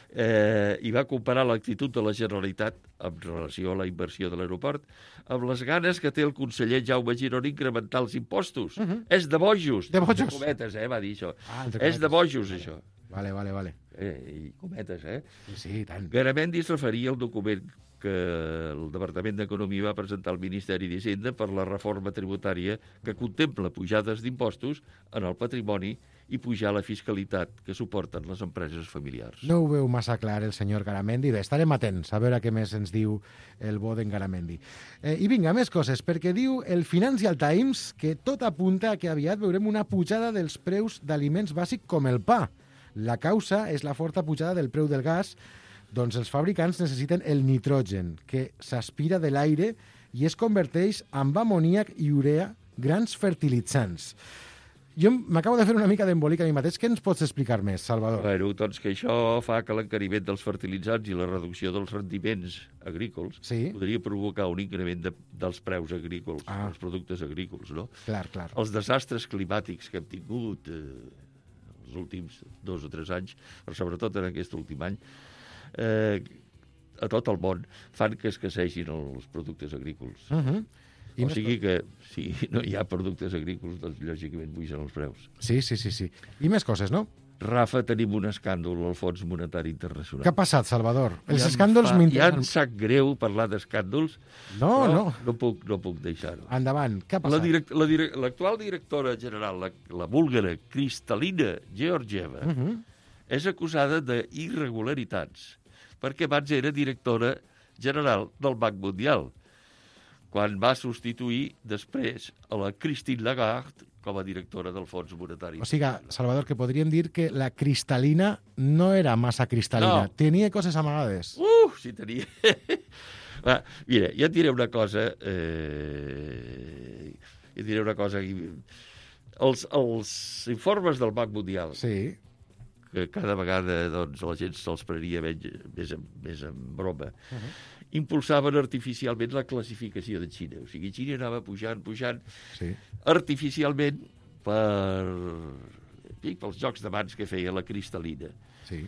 Eh, I va comparar l'actitud de la Generalitat en relació a la inversió de l'aeroport amb les ganes que té el conseller Jaume Girón incrementar els impostos. Uh -huh. És de bojos. De bojos. Entre cometes, eh, va dir això. Ah, entre És de cometes. bojos, això. Vale, vale, vale. Eh, I cometes, eh? Sí, sí, tant. Garamendi es referia al document que el Departament d'Economia va presentar al Ministeri d'Hisenda per la reforma tributària que contempla pujades d'impostos en el patrimoni i pujar la fiscalitat que suporten les empreses familiars. No ho veu massa clar el senyor Garamendi. Bé, estarem atents a veure què més ens diu el bo d'en Garamendi. Eh, I vinga, més coses, perquè diu el Financial Times que tot apunta a que aviat veurem una pujada dels preus d'aliments bàsics com el pa. La causa és la forta pujada del preu del gas, doncs els fabricants necessiten el nitrogen, que s'aspira de l'aire i es converteix en amoníac i urea, grans fertilitzants. Jo m'acabo de fer una mica d'embolic a mi mateix. Què ens pots explicar més, Salvador? Bueno, doncs que això fa que l'encariment dels fertilitzants i la reducció dels rendiments agrícols Sí. podria provocar un increment de, dels preus agrícols, Ah. dels productes agrícols, no? Clar, clar. Els desastres climàtics que hem tingut eh, els últims dos o tres anys, però sobretot en aquest últim any, eh, a tot el món, fan que escassegin els productes agrícols. Uh -huh. I O més sigui que, si no hi ha productes agrícols, doncs lògicament pugen els preus. Sí, sí, sí, sí. I més coses, no? Rafa, tenim un escàndol al Fons Monetari Internacional. Què ha passat, Salvador? Els Ja em escàndols fa- Ja m'interessen. em sap greu parlar d'escàndols, No, però no. no puc, no puc deixar-ho. Endavant, què ha La passat? direct, la direct, l'actual directora general, la, la búlgara Kristalina Georgieva, Uh -huh. és acusada d'irregularitats, perquè abans era directora general del Banc Mundial, quan va substituir després a la Christine Lagarde com a directora del Fons Monetari. O sigui, Salvador, que podríem dir que la cristal·lina no era massa cristal·lina. No. Tenia coses amagades. Uh, si tenia... Va, mira, jo et diré una cosa... Eh... Jo et diré una cosa... Els, els informes del Banc Mundial, Sí. que cada vegada doncs, la gent se'ls prenia més, més, en, més en broma, uh -huh. impulsaven artificialment la classificació de Xina. O sigui, Xina anava pujant, pujant, Sí. artificialment per... Sí, pels jocs de mans que feia la cristal·lina. Sí.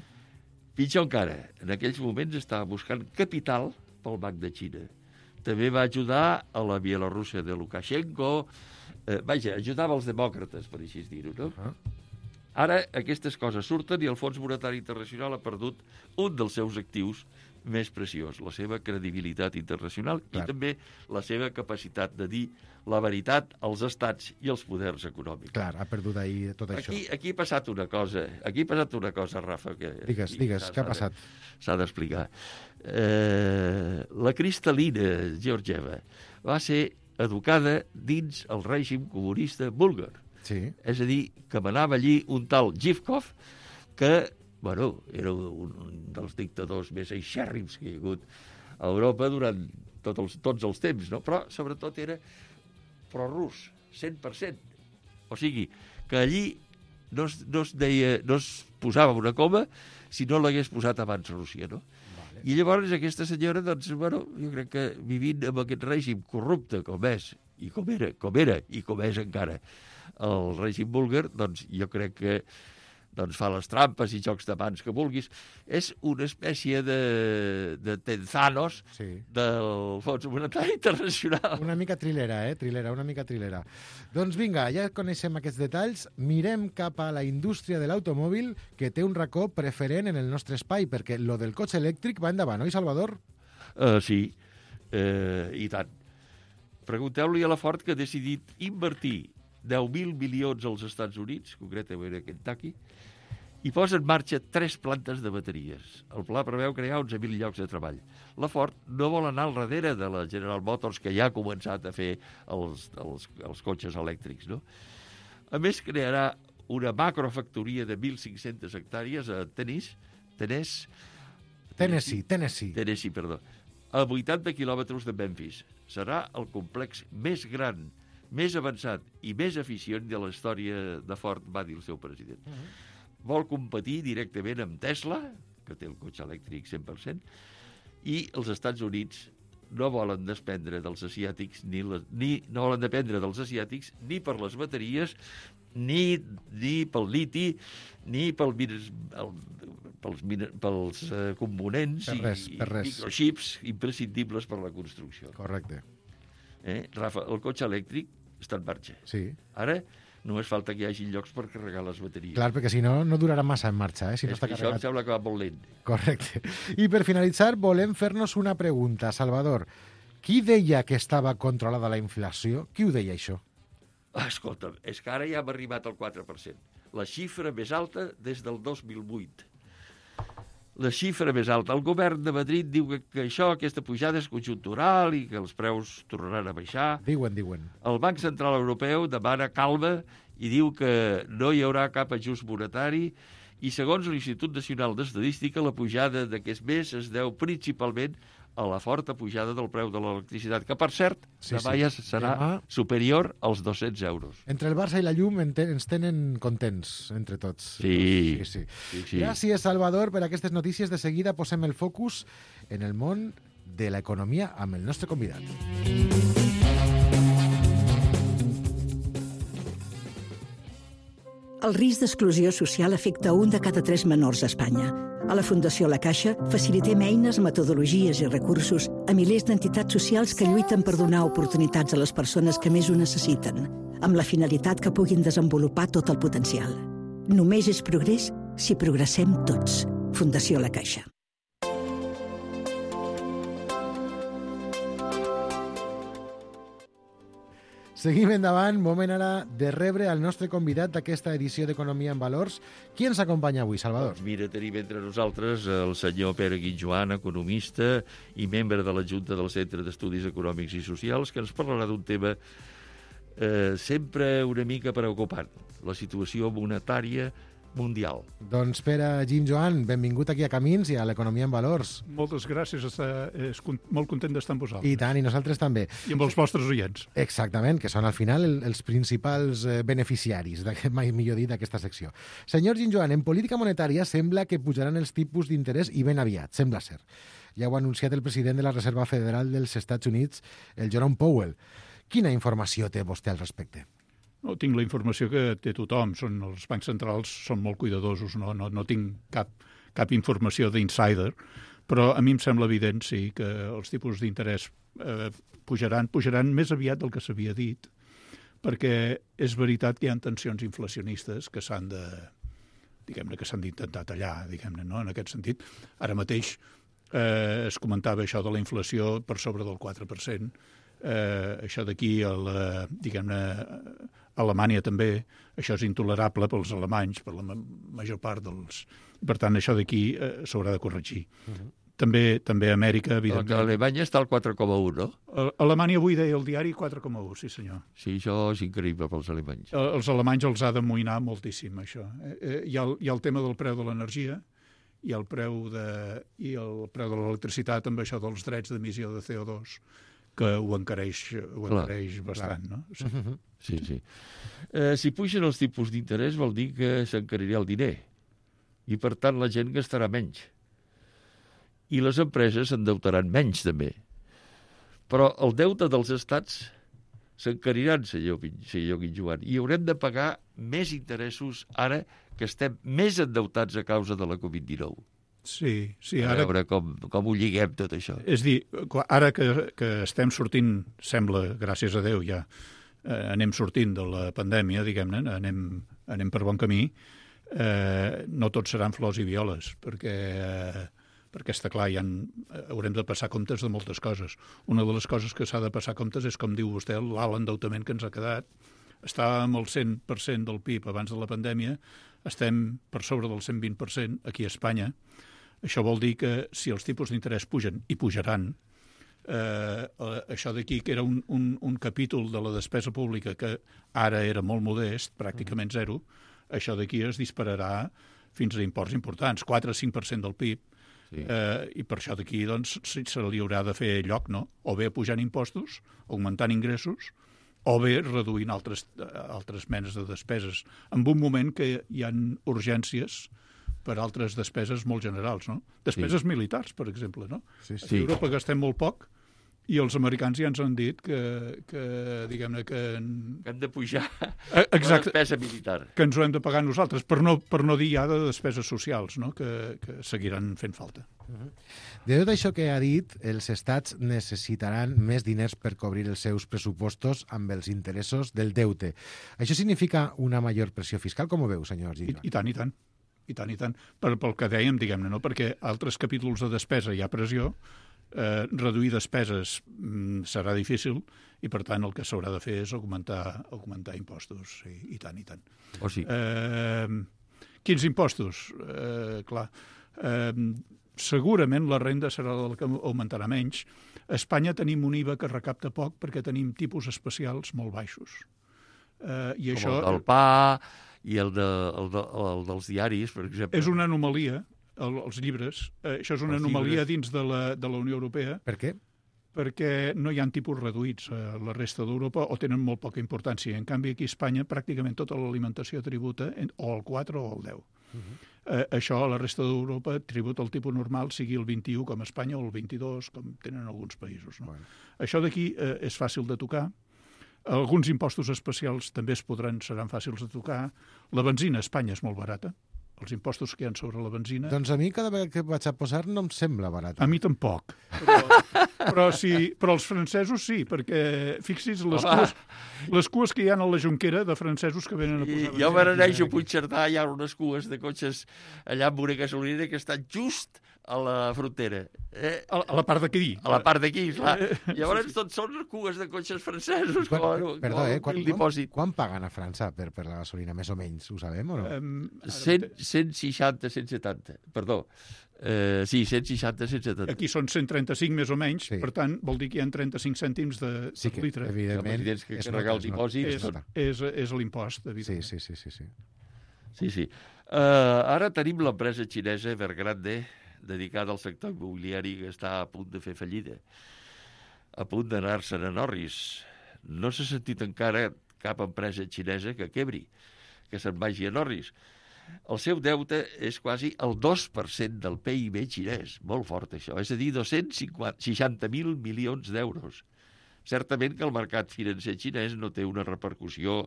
Pitjor encara, en aquells moments estava buscant capital pel Banc de Xina. També va ajudar a la Bielorússia de Lukashenko, eh, vaja, ajudava els demòcrates, per així dir-ho, no? Ah. Ara aquestes coses surten i el Fons Monetari Internacional ha perdut un dels seus actius més preciós, la seva credibilitat internacional Clar. i també la seva capacitat de dir la veritat als estats i als poders econòmics. Clar, ha perdut ahir tot això. Aquí, aquí ha passat una cosa, aquí ha passat una cosa, Rafa, que... Digues, aquí digues, s'ha- què ha s'ha de- passat? S'ha d'explicar. Eh, la Kristalina Georgieva va ser educada dins el règim comunista búlgar. Sí. És a dir, que manava allí un tal Zhivkov, que, bueno, era un dels dictadors més eixèrrims que hi ha hagut a Europa durant tot els, tots els temps, no? Però sobretot era prorus, cent per cent. O sigui, que allí no es, no es, deia, no es posava una coma si no l'hagués posat abans Rússia, no? Vale. I llavors aquesta senyora, doncs, bueno, jo crec que vivint amb aquest règim corrupte com és, i com era, com era, i com és encara el règim búlgar, doncs jo crec que doncs fa les trampes i jocs de mans que vulguis. És una espècie de, de Tenzanos sí. del Fons Monetari Internacional. Una mica trilera, eh? Trilera, una mica trilera. Doncs vinga, ja coneixem aquests detalls. Mirem cap a la indústria de l'automòbil, que té un racó preferent en el nostre espai, perquè lo del cotxe elèctric va endavant, oi, Salvador? Uh, sí, uh, i tant. Pregunteu-li a la Ford que ha decidit invertir deu mil milions als Estats Units, concretament a Kentucky, i posa en marxa tres plantes de bateries. El pla preveu crear onze mil llocs de treball. La Ford no vol anar al darrere de la General Motors, que ja ha començat a fer els, els, els cotxes elèctrics, no? A més, crearà una macrofactoria de mil cinc-centes hectàrees a Tennessee, Tennessee, Tennessee, Tennessee, Tennessee, perdó, a vuitanta quilòmetres de Memphis. Serà el complex més gran, més avançat i més eficient de la història de Ford, va dir el seu president. Uh-huh. Vol competir directament amb Tesla, que té el cotxe elèctric cent per cent, i els Estats Units no volen dependre dels asiàtics, ni, la, ni no volen dependre dels asiàtics ni per les bateries, ni, ni pel liti, ni pel, el, pels, pels uh, components per res, i, per res. i microchips imprescindibles per la construcció. Correcte. Eh, Rafa, el cotxe elèctric està en marxa. Sí. Ara només falta que hi hagi llocs per carregar les bateries. Clar, perquè si no, no durarà massa en marxa, eh? Si no està carregat. Això em sembla que va molt lent. Correcte. I per finalitzar, volem fer-nos una pregunta. Salvador, qui deia que estava controlada la inflació? Qui ho deia, això? Escolta'm, és que ara ja hem arribat al quatre per cent. La xifra més alta des del dos mil vuit. La xifra més alta. El govern de Madrid diu que, que això, aquesta pujada és conjuntural i que els preus tornaran a baixar. Diuen, diuen. El Banc Central Europeu demana calma i diu que no hi haurà cap ajust monetari i, segons l'Institut Nacional d'Estadística, la pujada d'aquest mes es deu principalment a la forta pujada del preu de l'electricitat, que, per cert, sí, demà ja sí. serà demà... superior als dos-cents euros. Entre el Barça i la llum ens tenen contents, entre tots. Sí. sí, sí. sí, sí. Gràcies, Salvador, per aquestes notícies. De seguida posem el focus en el món de l'economia amb el nostre convidat. El risc d'exclusió social afecta un de cada tres menors a Espanya. A la Fundació La Caixa facilitem eines, metodologies i recursos a milers d'entitats socials que lluiten per donar oportunitats a les persones que més ho necessiten, amb la finalitat que puguin desenvolupar tot el potencial. Només és progrés si progressem tots. Fundació La Caixa. Seguim endavant, moment ara de rebre el nostre convidat d'aquesta edició d'Economia en Valors. Qui ens acompanya avui, Salvador? Doncs mira, tenim entre nosaltres el senyor Pere Guitjoan, economista i membre de la Junta del Centre d'Estudis Econòmics i Socials, que ens parlarà d'un tema eh, sempre una mica preocupant, la situació monetària mundial. Doncs Pere Guitjoan, benvingut aquí a Camins i a l'Economia en Valors. Moltes gràcies, està, és molt content d'estar amb vosaltres. I tant, i nosaltres també. I amb els vostres oients. Exactament, que són al final el, els principals eh, beneficiaris, mai millor dit, d'aquesta secció. Senyor Guitjoan, en política monetària sembla que pujaran els tipus d'interès i ben aviat, sembla ser. Ja ho ha anunciat el president de la Reserva Federal dels Estats Units, el Jerome Powell. Quina informació té vostè al respecte? No, tinc la informació que té tothom. Són, els bancs centrals són molt cuidadosos, no, no, no tinc cap, cap informació d'insider, però a mi em sembla evident, sí, que els tipus d'interès eh, pujaran, pujaran més aviat del que s'havia dit, perquè és veritat que hi ha tensions inflacionistes que s'han de, diguem-ne, que s'han d'intentar tallar, diguem-ne, no? En aquest sentit. Ara mateix eh, es comentava això de la inflació per sobre del quatre per cent, eh, això d'aquí, diguem-ne, Alemanya també, això és intolerable pels alemanys, per la major part dels... Per tant, això d'aquí eh, s'haurà de corregir. Uh-huh. També també a Amèrica, evidentment... A Alemanya està al quatre coma un, no? A Alemanya avui deia el diari quatre coma un, sí senyor. Sí, això és increïble pels alemanys. Els alemanys els ha d'amoïnar moltíssim, això. Eh, hi ha, hi ha el tema del preu de l'energia, i el preu de, i el preu de l'electricitat amb això dels drets d'emissió de C O dos, que ho encareix, ho encareix bastant, no? Sí, sí. sí. Eh, si pugen els tipus d'interès vol dir que s'encarirà el diner i, per tant, la gent gastarà menys. I les empreses s'endeutaran menys, també. Però el deute dels estats s'encariran, senyor, senyor Guinjoan, i haurem de pagar més interessos ara que estem més endeutats a causa de la covid dinou. Sí, sí. A Ara... veure com, com ho lliguem, tot això. És dir, ara que, que estem sortint, sembla, gràcies a Déu, ja eh, anem sortint de la pandèmia, diguem-ne, anem, anem per bon camí, eh, no tot seran flors i violes, perquè... Eh, perquè està clar, ja haurem de passar comptes de moltes coses. Una de les coses que s'ha de passar comptes és, com diu vostè, l'alt endeutament que ens ha quedat. Estàvem al cent per cent del P I B abans de la pandèmia, estem per sobre del cent vint per cent aquí a Espanya. Això vol dir que si els tipus d'interès pugen, i pujaran, eh, això d'aquí, que era un, un, un capítol de la despesa pública que ara era molt modest, pràcticament zero, això d'aquí es dispararà fins a imports importants, quatre a cinc per cent del P I B. Sí. Eh, I per això d'aquí doncs, se li haurà de fer lloc, no? O bé pujant impostos, augmentant ingressos, o bé reduint altres, altres menes de despeses, en un moment que hi ha urgències per altres despeses molt generals, no? Despeses sí. militars, per exemple, no? Sí, sí. A Europa gastem molt poc, i els americans ja ens han dit que, que diguem-ne, que... Que hem de pujar Exacte, la despesa militar. Que ens ho hem de pagar nosaltres, per no, per no dir ja de despeses socials, no? que, que seguiran fent falta. Uh-huh. De tot això que ha dit, els estats necessitaran més diners per cobrir els seus pressupostos amb els interessos del deute. Això significa una major pressió fiscal? Com ho veu, senyor Girona? I, I tant, i tant. I tant, i tant. Per, pel que dèiem, diguem-ne, no? Perquè altres capítols de despesa hi ha pressió, Eh, reduir despeses mm, serà difícil i, per tant, el que s'haurà de fer és augmentar, augmentar impostos, i, i tant, i tant. O sí. Eh, quins impostos? Eh, clar, eh, segurament la renda serà la que augmentarà menys. A Espanya tenim un I V A que recapta poc perquè tenim tipus especials molt baixos. Eh, i Com això... el del pa i el, de, el, de, el dels diaris, per exemple. És una anomalia. El, els llibres. Eh, això és una els anomalia llibres. dins de la, de la Unió Europea. Per què? Perquè no hi ha tipus reduïts a la resta d'Europa o tenen molt poca importància. En canvi, aquí a Espanya pràcticament tota l'alimentació tributa en, o el quatre o el deu. Uh-huh. Eh, això a la resta d'Europa tributa el tipus normal, sigui el vint-i-u com a Espanya o el vint-i-dos com tenen alguns països. No? Bueno. Això d'aquí eh, és fàcil de tocar. Alguns impostos especials també es podran, seran fàcils de tocar. La benzina a Espanya és molt barata. Els impostos que hi ha sobre la benzina... Doncs a mi cada vegada que vaig a posar no em sembla barat. A mi tampoc. Però, però, sí, però els francesos sí, perquè fixis les cues, les cues que hi ha a la Jonquera de francesos que venen a posar... I, jo me n'aneixo a Puigcerdà, hi ha unes cues de cotxes allà amb una gasolinera que estan just a la frontera. Eh? A, a la part d'aquí. A la part d'aquí, clar. Llavors sí, sí. Tots són cues de cotxes francesos. Quan, com, perdó, eh? Quan, quan, quan paguen a França per, per la gasolina, més o menys? Ho sabem o no? Um, cent, cent seixanta, cent setanta. Perdó. Uh, sí, cent seixanta, cent setanta. Aquí són cent trenta-cinc més o menys, sí. Per tant, vol dir que hi ha trenta-cinc cèntims de sí que, litre. Evidentment, és que carregar el dipòsit. És, és, és l'impost, evidentment. Sí, sí, sí. sí, sí. sí, sí. Uh, ara tenim l'empresa xinesa Evergrande, dedicada al sector immobiliari, que està a punt de fer fallida, a punt d'anar-se'n a Norris. No s'ha sentit encara cap empresa xinesa que quebri, que se'n vagi a Norris. El seu deute és quasi el dos per cent del P I B xinès, molt fort això, és a dir, dos-cents seixanta mil milions d'euros. Certament que el mercat financer xinès no té una repercussió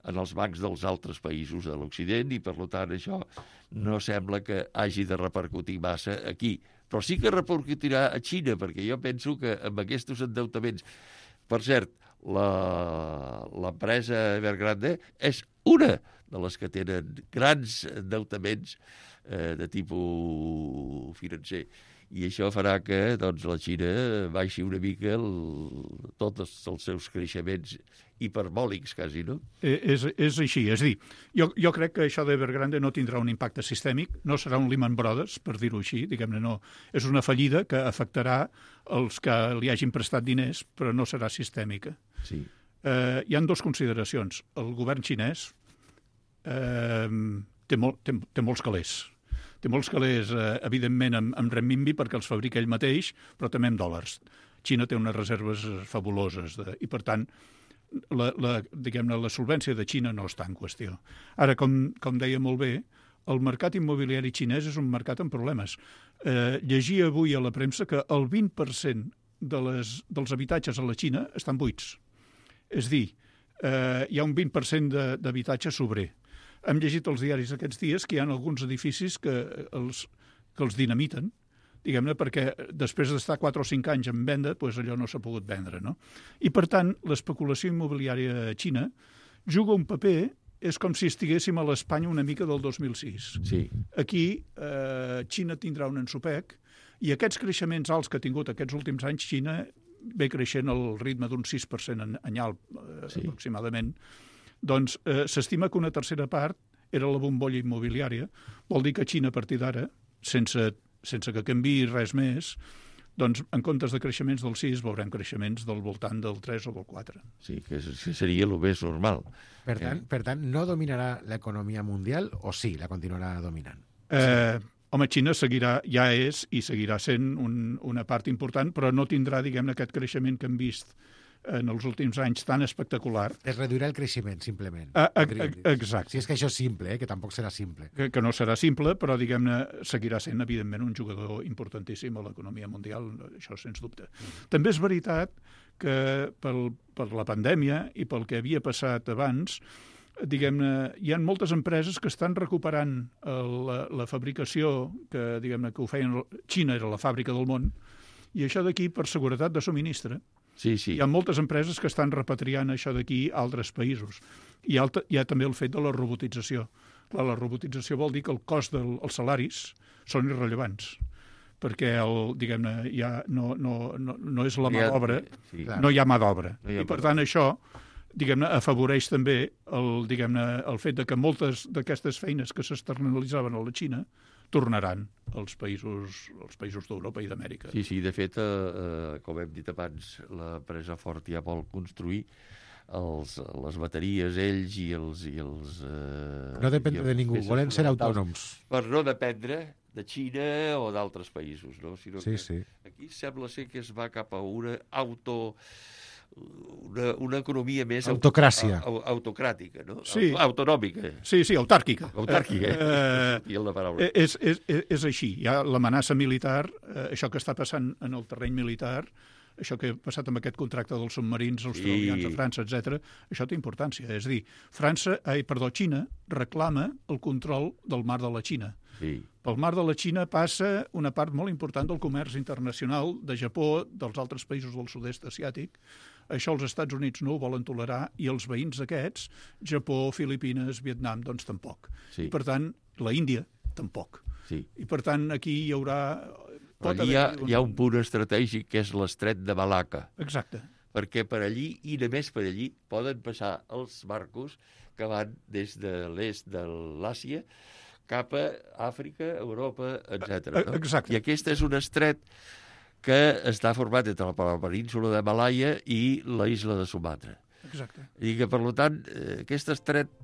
en els bancs dels altres països de l'Occident i, per tant, això no sembla que hagi de repercutir massa aquí. Però sí que repercutirà a Xina, perquè jo penso que amb aquests endeutaments... Per cert, l'empresa Evergrande és una de les que tenen grans endeutaments eh, de tipus financer. I això farà que doncs, la Xina baixi una mica el, tots els seus creixements hiperbòlics, quasi, no? És, és així, és a dir, jo, jo crec que això d'Evergrande no tindrà un impacte sistèmic, no serà un Lehman Brothers, per dir-ho així, diguem-ne, no. És una fallida que afectarà els que li hagin prestat diners, però no serà sistèmica. Sí. Eh, hi han dues consideracions. El govern xinès eh, té, molt, té, té molts calés. Té molts calés, eh, evidentment, amb, amb renminbi perquè els fabrica ell mateix, però també amb dòlars. Xina té unes reserves fabuloses de, i, per tant, la, la, diguem-ne, la solvència de Xina no està en qüestió. Ara, com, com deia molt bé, el mercat immobiliari xinès és un mercat amb problemes. Eh, llegia avui a la premsa que el vint per cent de les, dels habitatges a la Xina estan buits. És dir, eh, hi ha un vint per cent d'habitatge sobrer. Hem llegit als diaris aquests dies que hi ha alguns edificis que els, que els dinamiten, diguem-ne, perquè després d'estar quatre o cinc anys en venda, doncs allò no s'ha pogut vendre, no? I, per tant, l'especulació immobiliària a Xina juga un paper, és com si estiguéssim a l'Espanya una mica del dos mil sis. Sí. Aquí, eh, Xina tindrà un ensopec, i aquests creixements alts que ha tingut aquests últims anys, Xina ve creixent al ritme d'un sis per cent anyal, eh, sí. aproximadament, doncs eh, s'estima que una tercera part era la bombolla immobiliària. Vol dir que Xina, a partir d'ara, sense, sense que canviï res més, doncs en comptes de creixements del sis veurem creixements del voltant del tres o del quatre. Sí, que seria el més normal. Per tant, eh? per tant, no dominarà l'economia mundial o sí, la continuarà dominant? Eh, home, Xina seguirà, ja és i seguirà sent un, una part important, però no tindrà, diguem-ne, aquest creixement que hem vist en els últims anys tan espectacular. Es reduirà el creixement, simplement. Ah, exacte. Si és que això és simple, eh? que tampoc serà simple. Que, que no serà simple, però, diguem-ne, seguirà sent, evidentment, un jugador importantíssim a l'economia mundial, això sens dubte. Mm. També és veritat que pel, per la pandèmia i pel que havia passat abans, diguem-ne, hi ha moltes empreses que estan recuperant la, la fabricació que, diguem-ne, que ho feien... Xina era la fàbrica del món, i això d'aquí per seguretat de subministre. Sí, sí. Hi ha moltes empreses que estan repatriant això d'aquí a altres països. Hi ha, hi ha també el fet de la robotització. Clar, la robotització vol dir que el cost dels salaris són irrellevants, perquè el, diguem-ne, ja no, no, no, no és la mà d'obra, sí. no hi ha mà d'obra. No I per tant això, diguem-ne, afavoreix també el, diguem-ne, el fet de que moltes d'aquestes feines que s'externalitzaven a la Xina tornaran als països, als països d'Europa i d'Amèrica. Sí, sí, de fet, eh, com hem dit abans, l'empresa Ford ja vol construir els, les bateries, ells i els... I els eh, no depèn de ningú, volen ser autònoms. Per no dependre de Xina o d'altres països, no? Sinó sí, que sí. Aquí sembla ser que es va cap a una auto... Una, una economia més autocràcia. Auto, autocràtica, no? Sí. Autonòmica. Sí, sí, autàrquica. Autàrquica, eh, eh, la paraula. És, és, és així. Hi ha l'amenaça militar, eh, això que està passant en el terreny militar, això que ha passat amb aquest contracte dels submarins australians sí. a França, etcètera, això té importància. És a dir, França, ai, perdó, Xina reclama el control del mar de la Xina. Sí. Pel mar de la Xina passa una part molt important del comerç internacional de Japó, dels altres països del sud-est asiàtic. Això els Estats Units no ho volen tolerar i els veïns aquests, Japó, Filipines, Vietnam, doncs tampoc. Sí. I per tant, la Índia tampoc. Sí. I per tant, aquí hi haurà... Pot allí hi ha, un... hi ha un punt estratègic que és l'estret de Malacca. Exacte. Perquè per allí, i només per allí, poden passar els barcos que van des de l'est de l'Àsia cap a Àfrica, Europa, etcètera. No? Exacte. I aquest és un estret que està format entre la península de Malaia i la isla de Sumatra. Exacte. I que, per tant, aquest estret,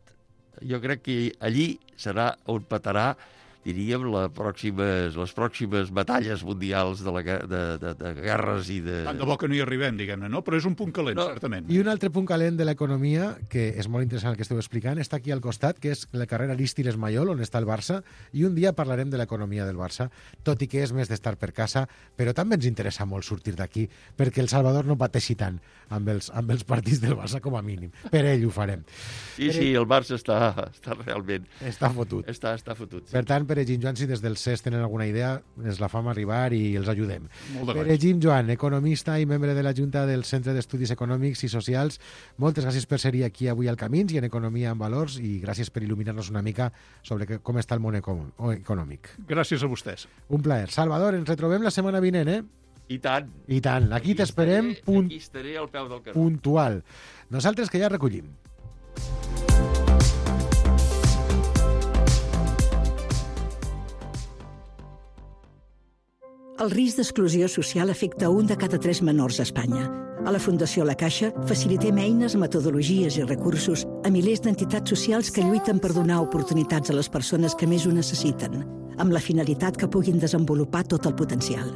jo crec que allí serà on petarà, diríem, les pròximes, les pròximes batalles mundials de, la, de, de, de guerres i de... Tant de bo que no hi arribem, diguem-ne, no? Però és un punt calent, no. certament. I un altre punt calent de l'economia, que és molt interessant el que esteu explicant, està aquí al costat, que és la carrera Arístides Mayol, on està el Barça, i un dia parlarem de l'economia del Barça, tot i que és més d'estar per casa, però també ens interessa molt sortir d'aquí, perquè el Salvador no pateixi tant amb els, amb els partits del Barça, com a mínim. Per ell ho farem. Sí, per sí, ell... el Barça està, està realment... Està fotut. Està, està fotut, sí. Per tant, Pere Gim Joan, si des del C E S tenen alguna idea, ens la fam arribar i els ajudem. Molt de Pere Gim Joan, economista i membre de la Junta del Centre d'Estudis Econòmics i Socials, moltes gràcies per ser aquí avui al Camins i en Economia amb Valors, i gràcies per il·luminar-nos una mica sobre com està el món econòmic. Gràcies a vostès. Un plaer. Salvador, ens retrobem la setmana vinent, eh? I tant. I tant. Aquí, aquí t'esperem punt... Aquí estaré al peu del carrer. Puntual. Nosaltres que ja recollim. El risc d'exclusió social afecta a un de cada tres menors a Espanya. A la Fundació La Caixa facilitem eines, metodologies i recursos a milers d'entitats socials que lluiten per donar oportunitats a les persones que més ho necessiten. amb la finalitat que puguin desenvolupar tot el potencial.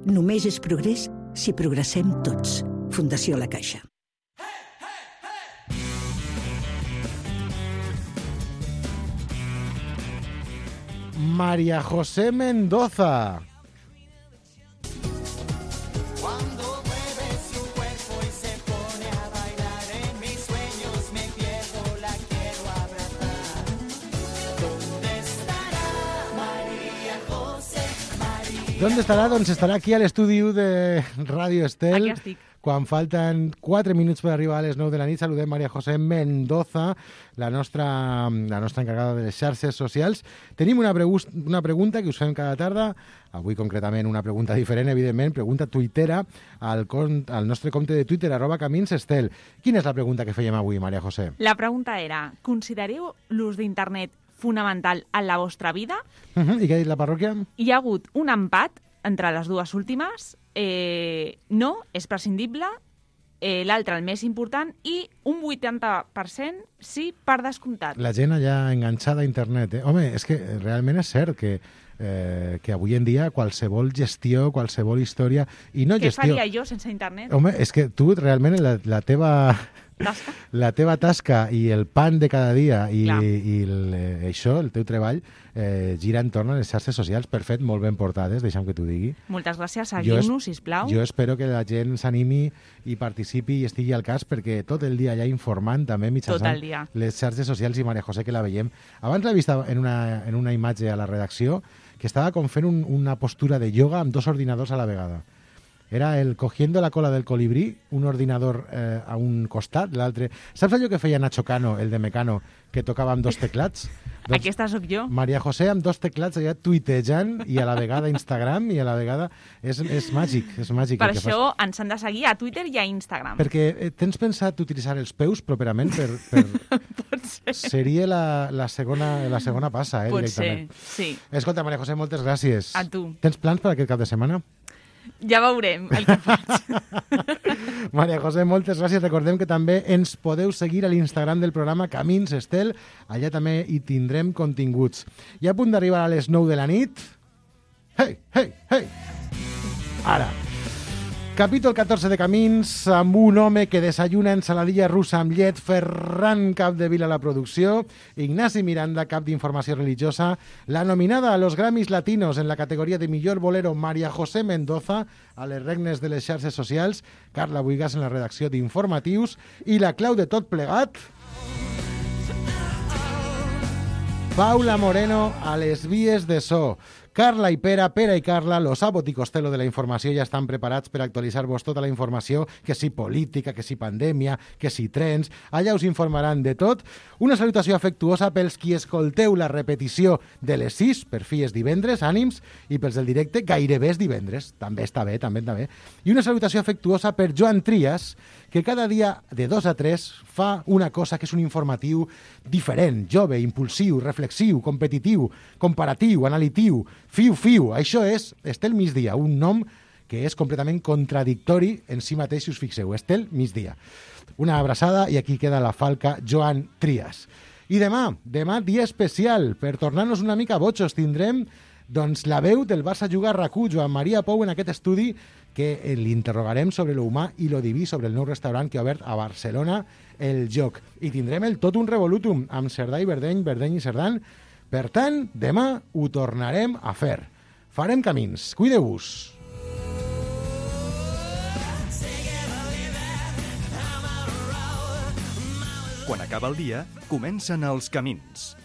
Només és progrés si progressem tots. Fundació La Caixa. María José Mendoza. ¿Dónde estarà? Doncs estarà aquí a l'estudi de Ràdio Estel. Aquí estic. Quan falten quatre minuts per arribar a les nou de la nit, saludem María José Mendoza, la nostra, la nostra encarregada de les xarxes socials. Tenim una, pregu- una pregunta que us fem cada tarda, avui concretament una pregunta diferent, evidentment, pregunta tuitera al, con- al nostre compte de Twitter, arroba Camins Estel. Quina és la pregunta que fèiem avui, María José? La pregunta era, considereu l'ús d'internet fonamental en la vostra vida? Uh-huh. I què ha dit la parròquia? Hi ha hagut un empat entre les dues últimes. Eh, no, és prescindible. Eh, L'altre, el més important, i un vuitanta per cent sí, per descomptat. La gent allà enganxada a internet. Eh? Home, és que realment és cert que, eh, que avui en dia qualsevol gestió, qualsevol història... I no Què gestió... faria jo sense internet? Home, és que tu realment la, la teva... Tasca. La teva tasca i el pan de cada dia i, Clar. i el, eh, això, el teu treball, eh, gira entorn a les xarxes socials, per fet, molt ben portades, deixa'm que t'ho digui. Moltes gràcies, Jo es- seguiu-nos, sisplau. Jo espero que la gent s'animi i participi i estigui al cas, perquè tot el dia allà informant també Tot mitjançant el dia. les xarxes socials, i Maria José, que la veiem. Abans l'he vist en una, en una imatge a la redacció que estava com fent un, una postura de ioga amb dos ordinadors a la vegada. Era el cogiendo la cola del colibrí, un ordinador eh, a un costat, l'altre... Saps allò que feia Nacho Cano, el de Mecano, que tocava amb dos teclats? Doncs Aquesta sóc jo. Maria José amb dos teclats allà tuitejant i a la vegada Instagram i a la vegada... És, és màgic, és màgic. Per el que això fas. ens han de seguir a Twitter i a Instagram. Perquè eh, tens pensat utilitzar els peus properament per... per... Pot ser. Seria la, la, segona, la segona passa, eh, Pot directament. ser, sí. Escolta, Maria José, moltes gràcies. A tu. Tens plans per aquest cap de setmana? Ja veurem el que faig. Maria José, moltes gràcies. Recordem que també ens podeu seguir a l'Instagram del programa Camins Estel. Allà també hi tindrem continguts. I a punt d'arribar a les nou de la nit... Hey, hey, hey! Ara. Capítol catorze de Camins, amb un home que desayuna ensaladilla russa amb llet, Ferran Capdevila a la producció, Ignasi Miranda, cap d'informació religiosa, la nominada a los Grammys Latinos en la categoria de millor bolero, María José Mendoza, a les regnes de les xarxes socials, Carla Buigas en la redacció d'informatius, i la clau de tot plegat... Paula Moreno a les vies de so. Carla i Pera, Pera i Carla, los Abot i Costello de la informació, ja estan preparats per actualitzar-vos tota la informació, que si política, que si pandèmia, que si trens, allà us informaran de tot. Una salutació afectuosa pels qui escolteu la repetició de les sis, per fi és divendres, ànims, i pels del directe gairebé és divendres, també està bé, també està bé. I una salutació afectuosa per Joan Trias, que cada dia de dos a tres fa una cosa que és un informatiu diferent, jove, impulsiu, reflexiu, competitiu, comparatiu, analitiu, fiu, fiu. Això és Estel Migdia, un nom que és completament contradictori en si mateix, si us fixeu. Estel Migdia. Una abraçada i aquí queda la falca Joan Trias. I demà, demà dia especial, per tornar-nos una mica botxos, tindrem doncs, la veu del Barça Juga a RAC1, Joan Maria Pou, en aquest estudi que l'interrogarem sobre lo humà i lo diví, sobre el nou restaurant que ha obert a Barcelona, El Joc. I tindrem el Totum Revolutum amb Cerdà i Verdeny, Verdeny i Cerdan. Per tant, demà ho tornarem a fer. Farem camins. Cuideu-vos. Quan acaba el dia, comencen els camins.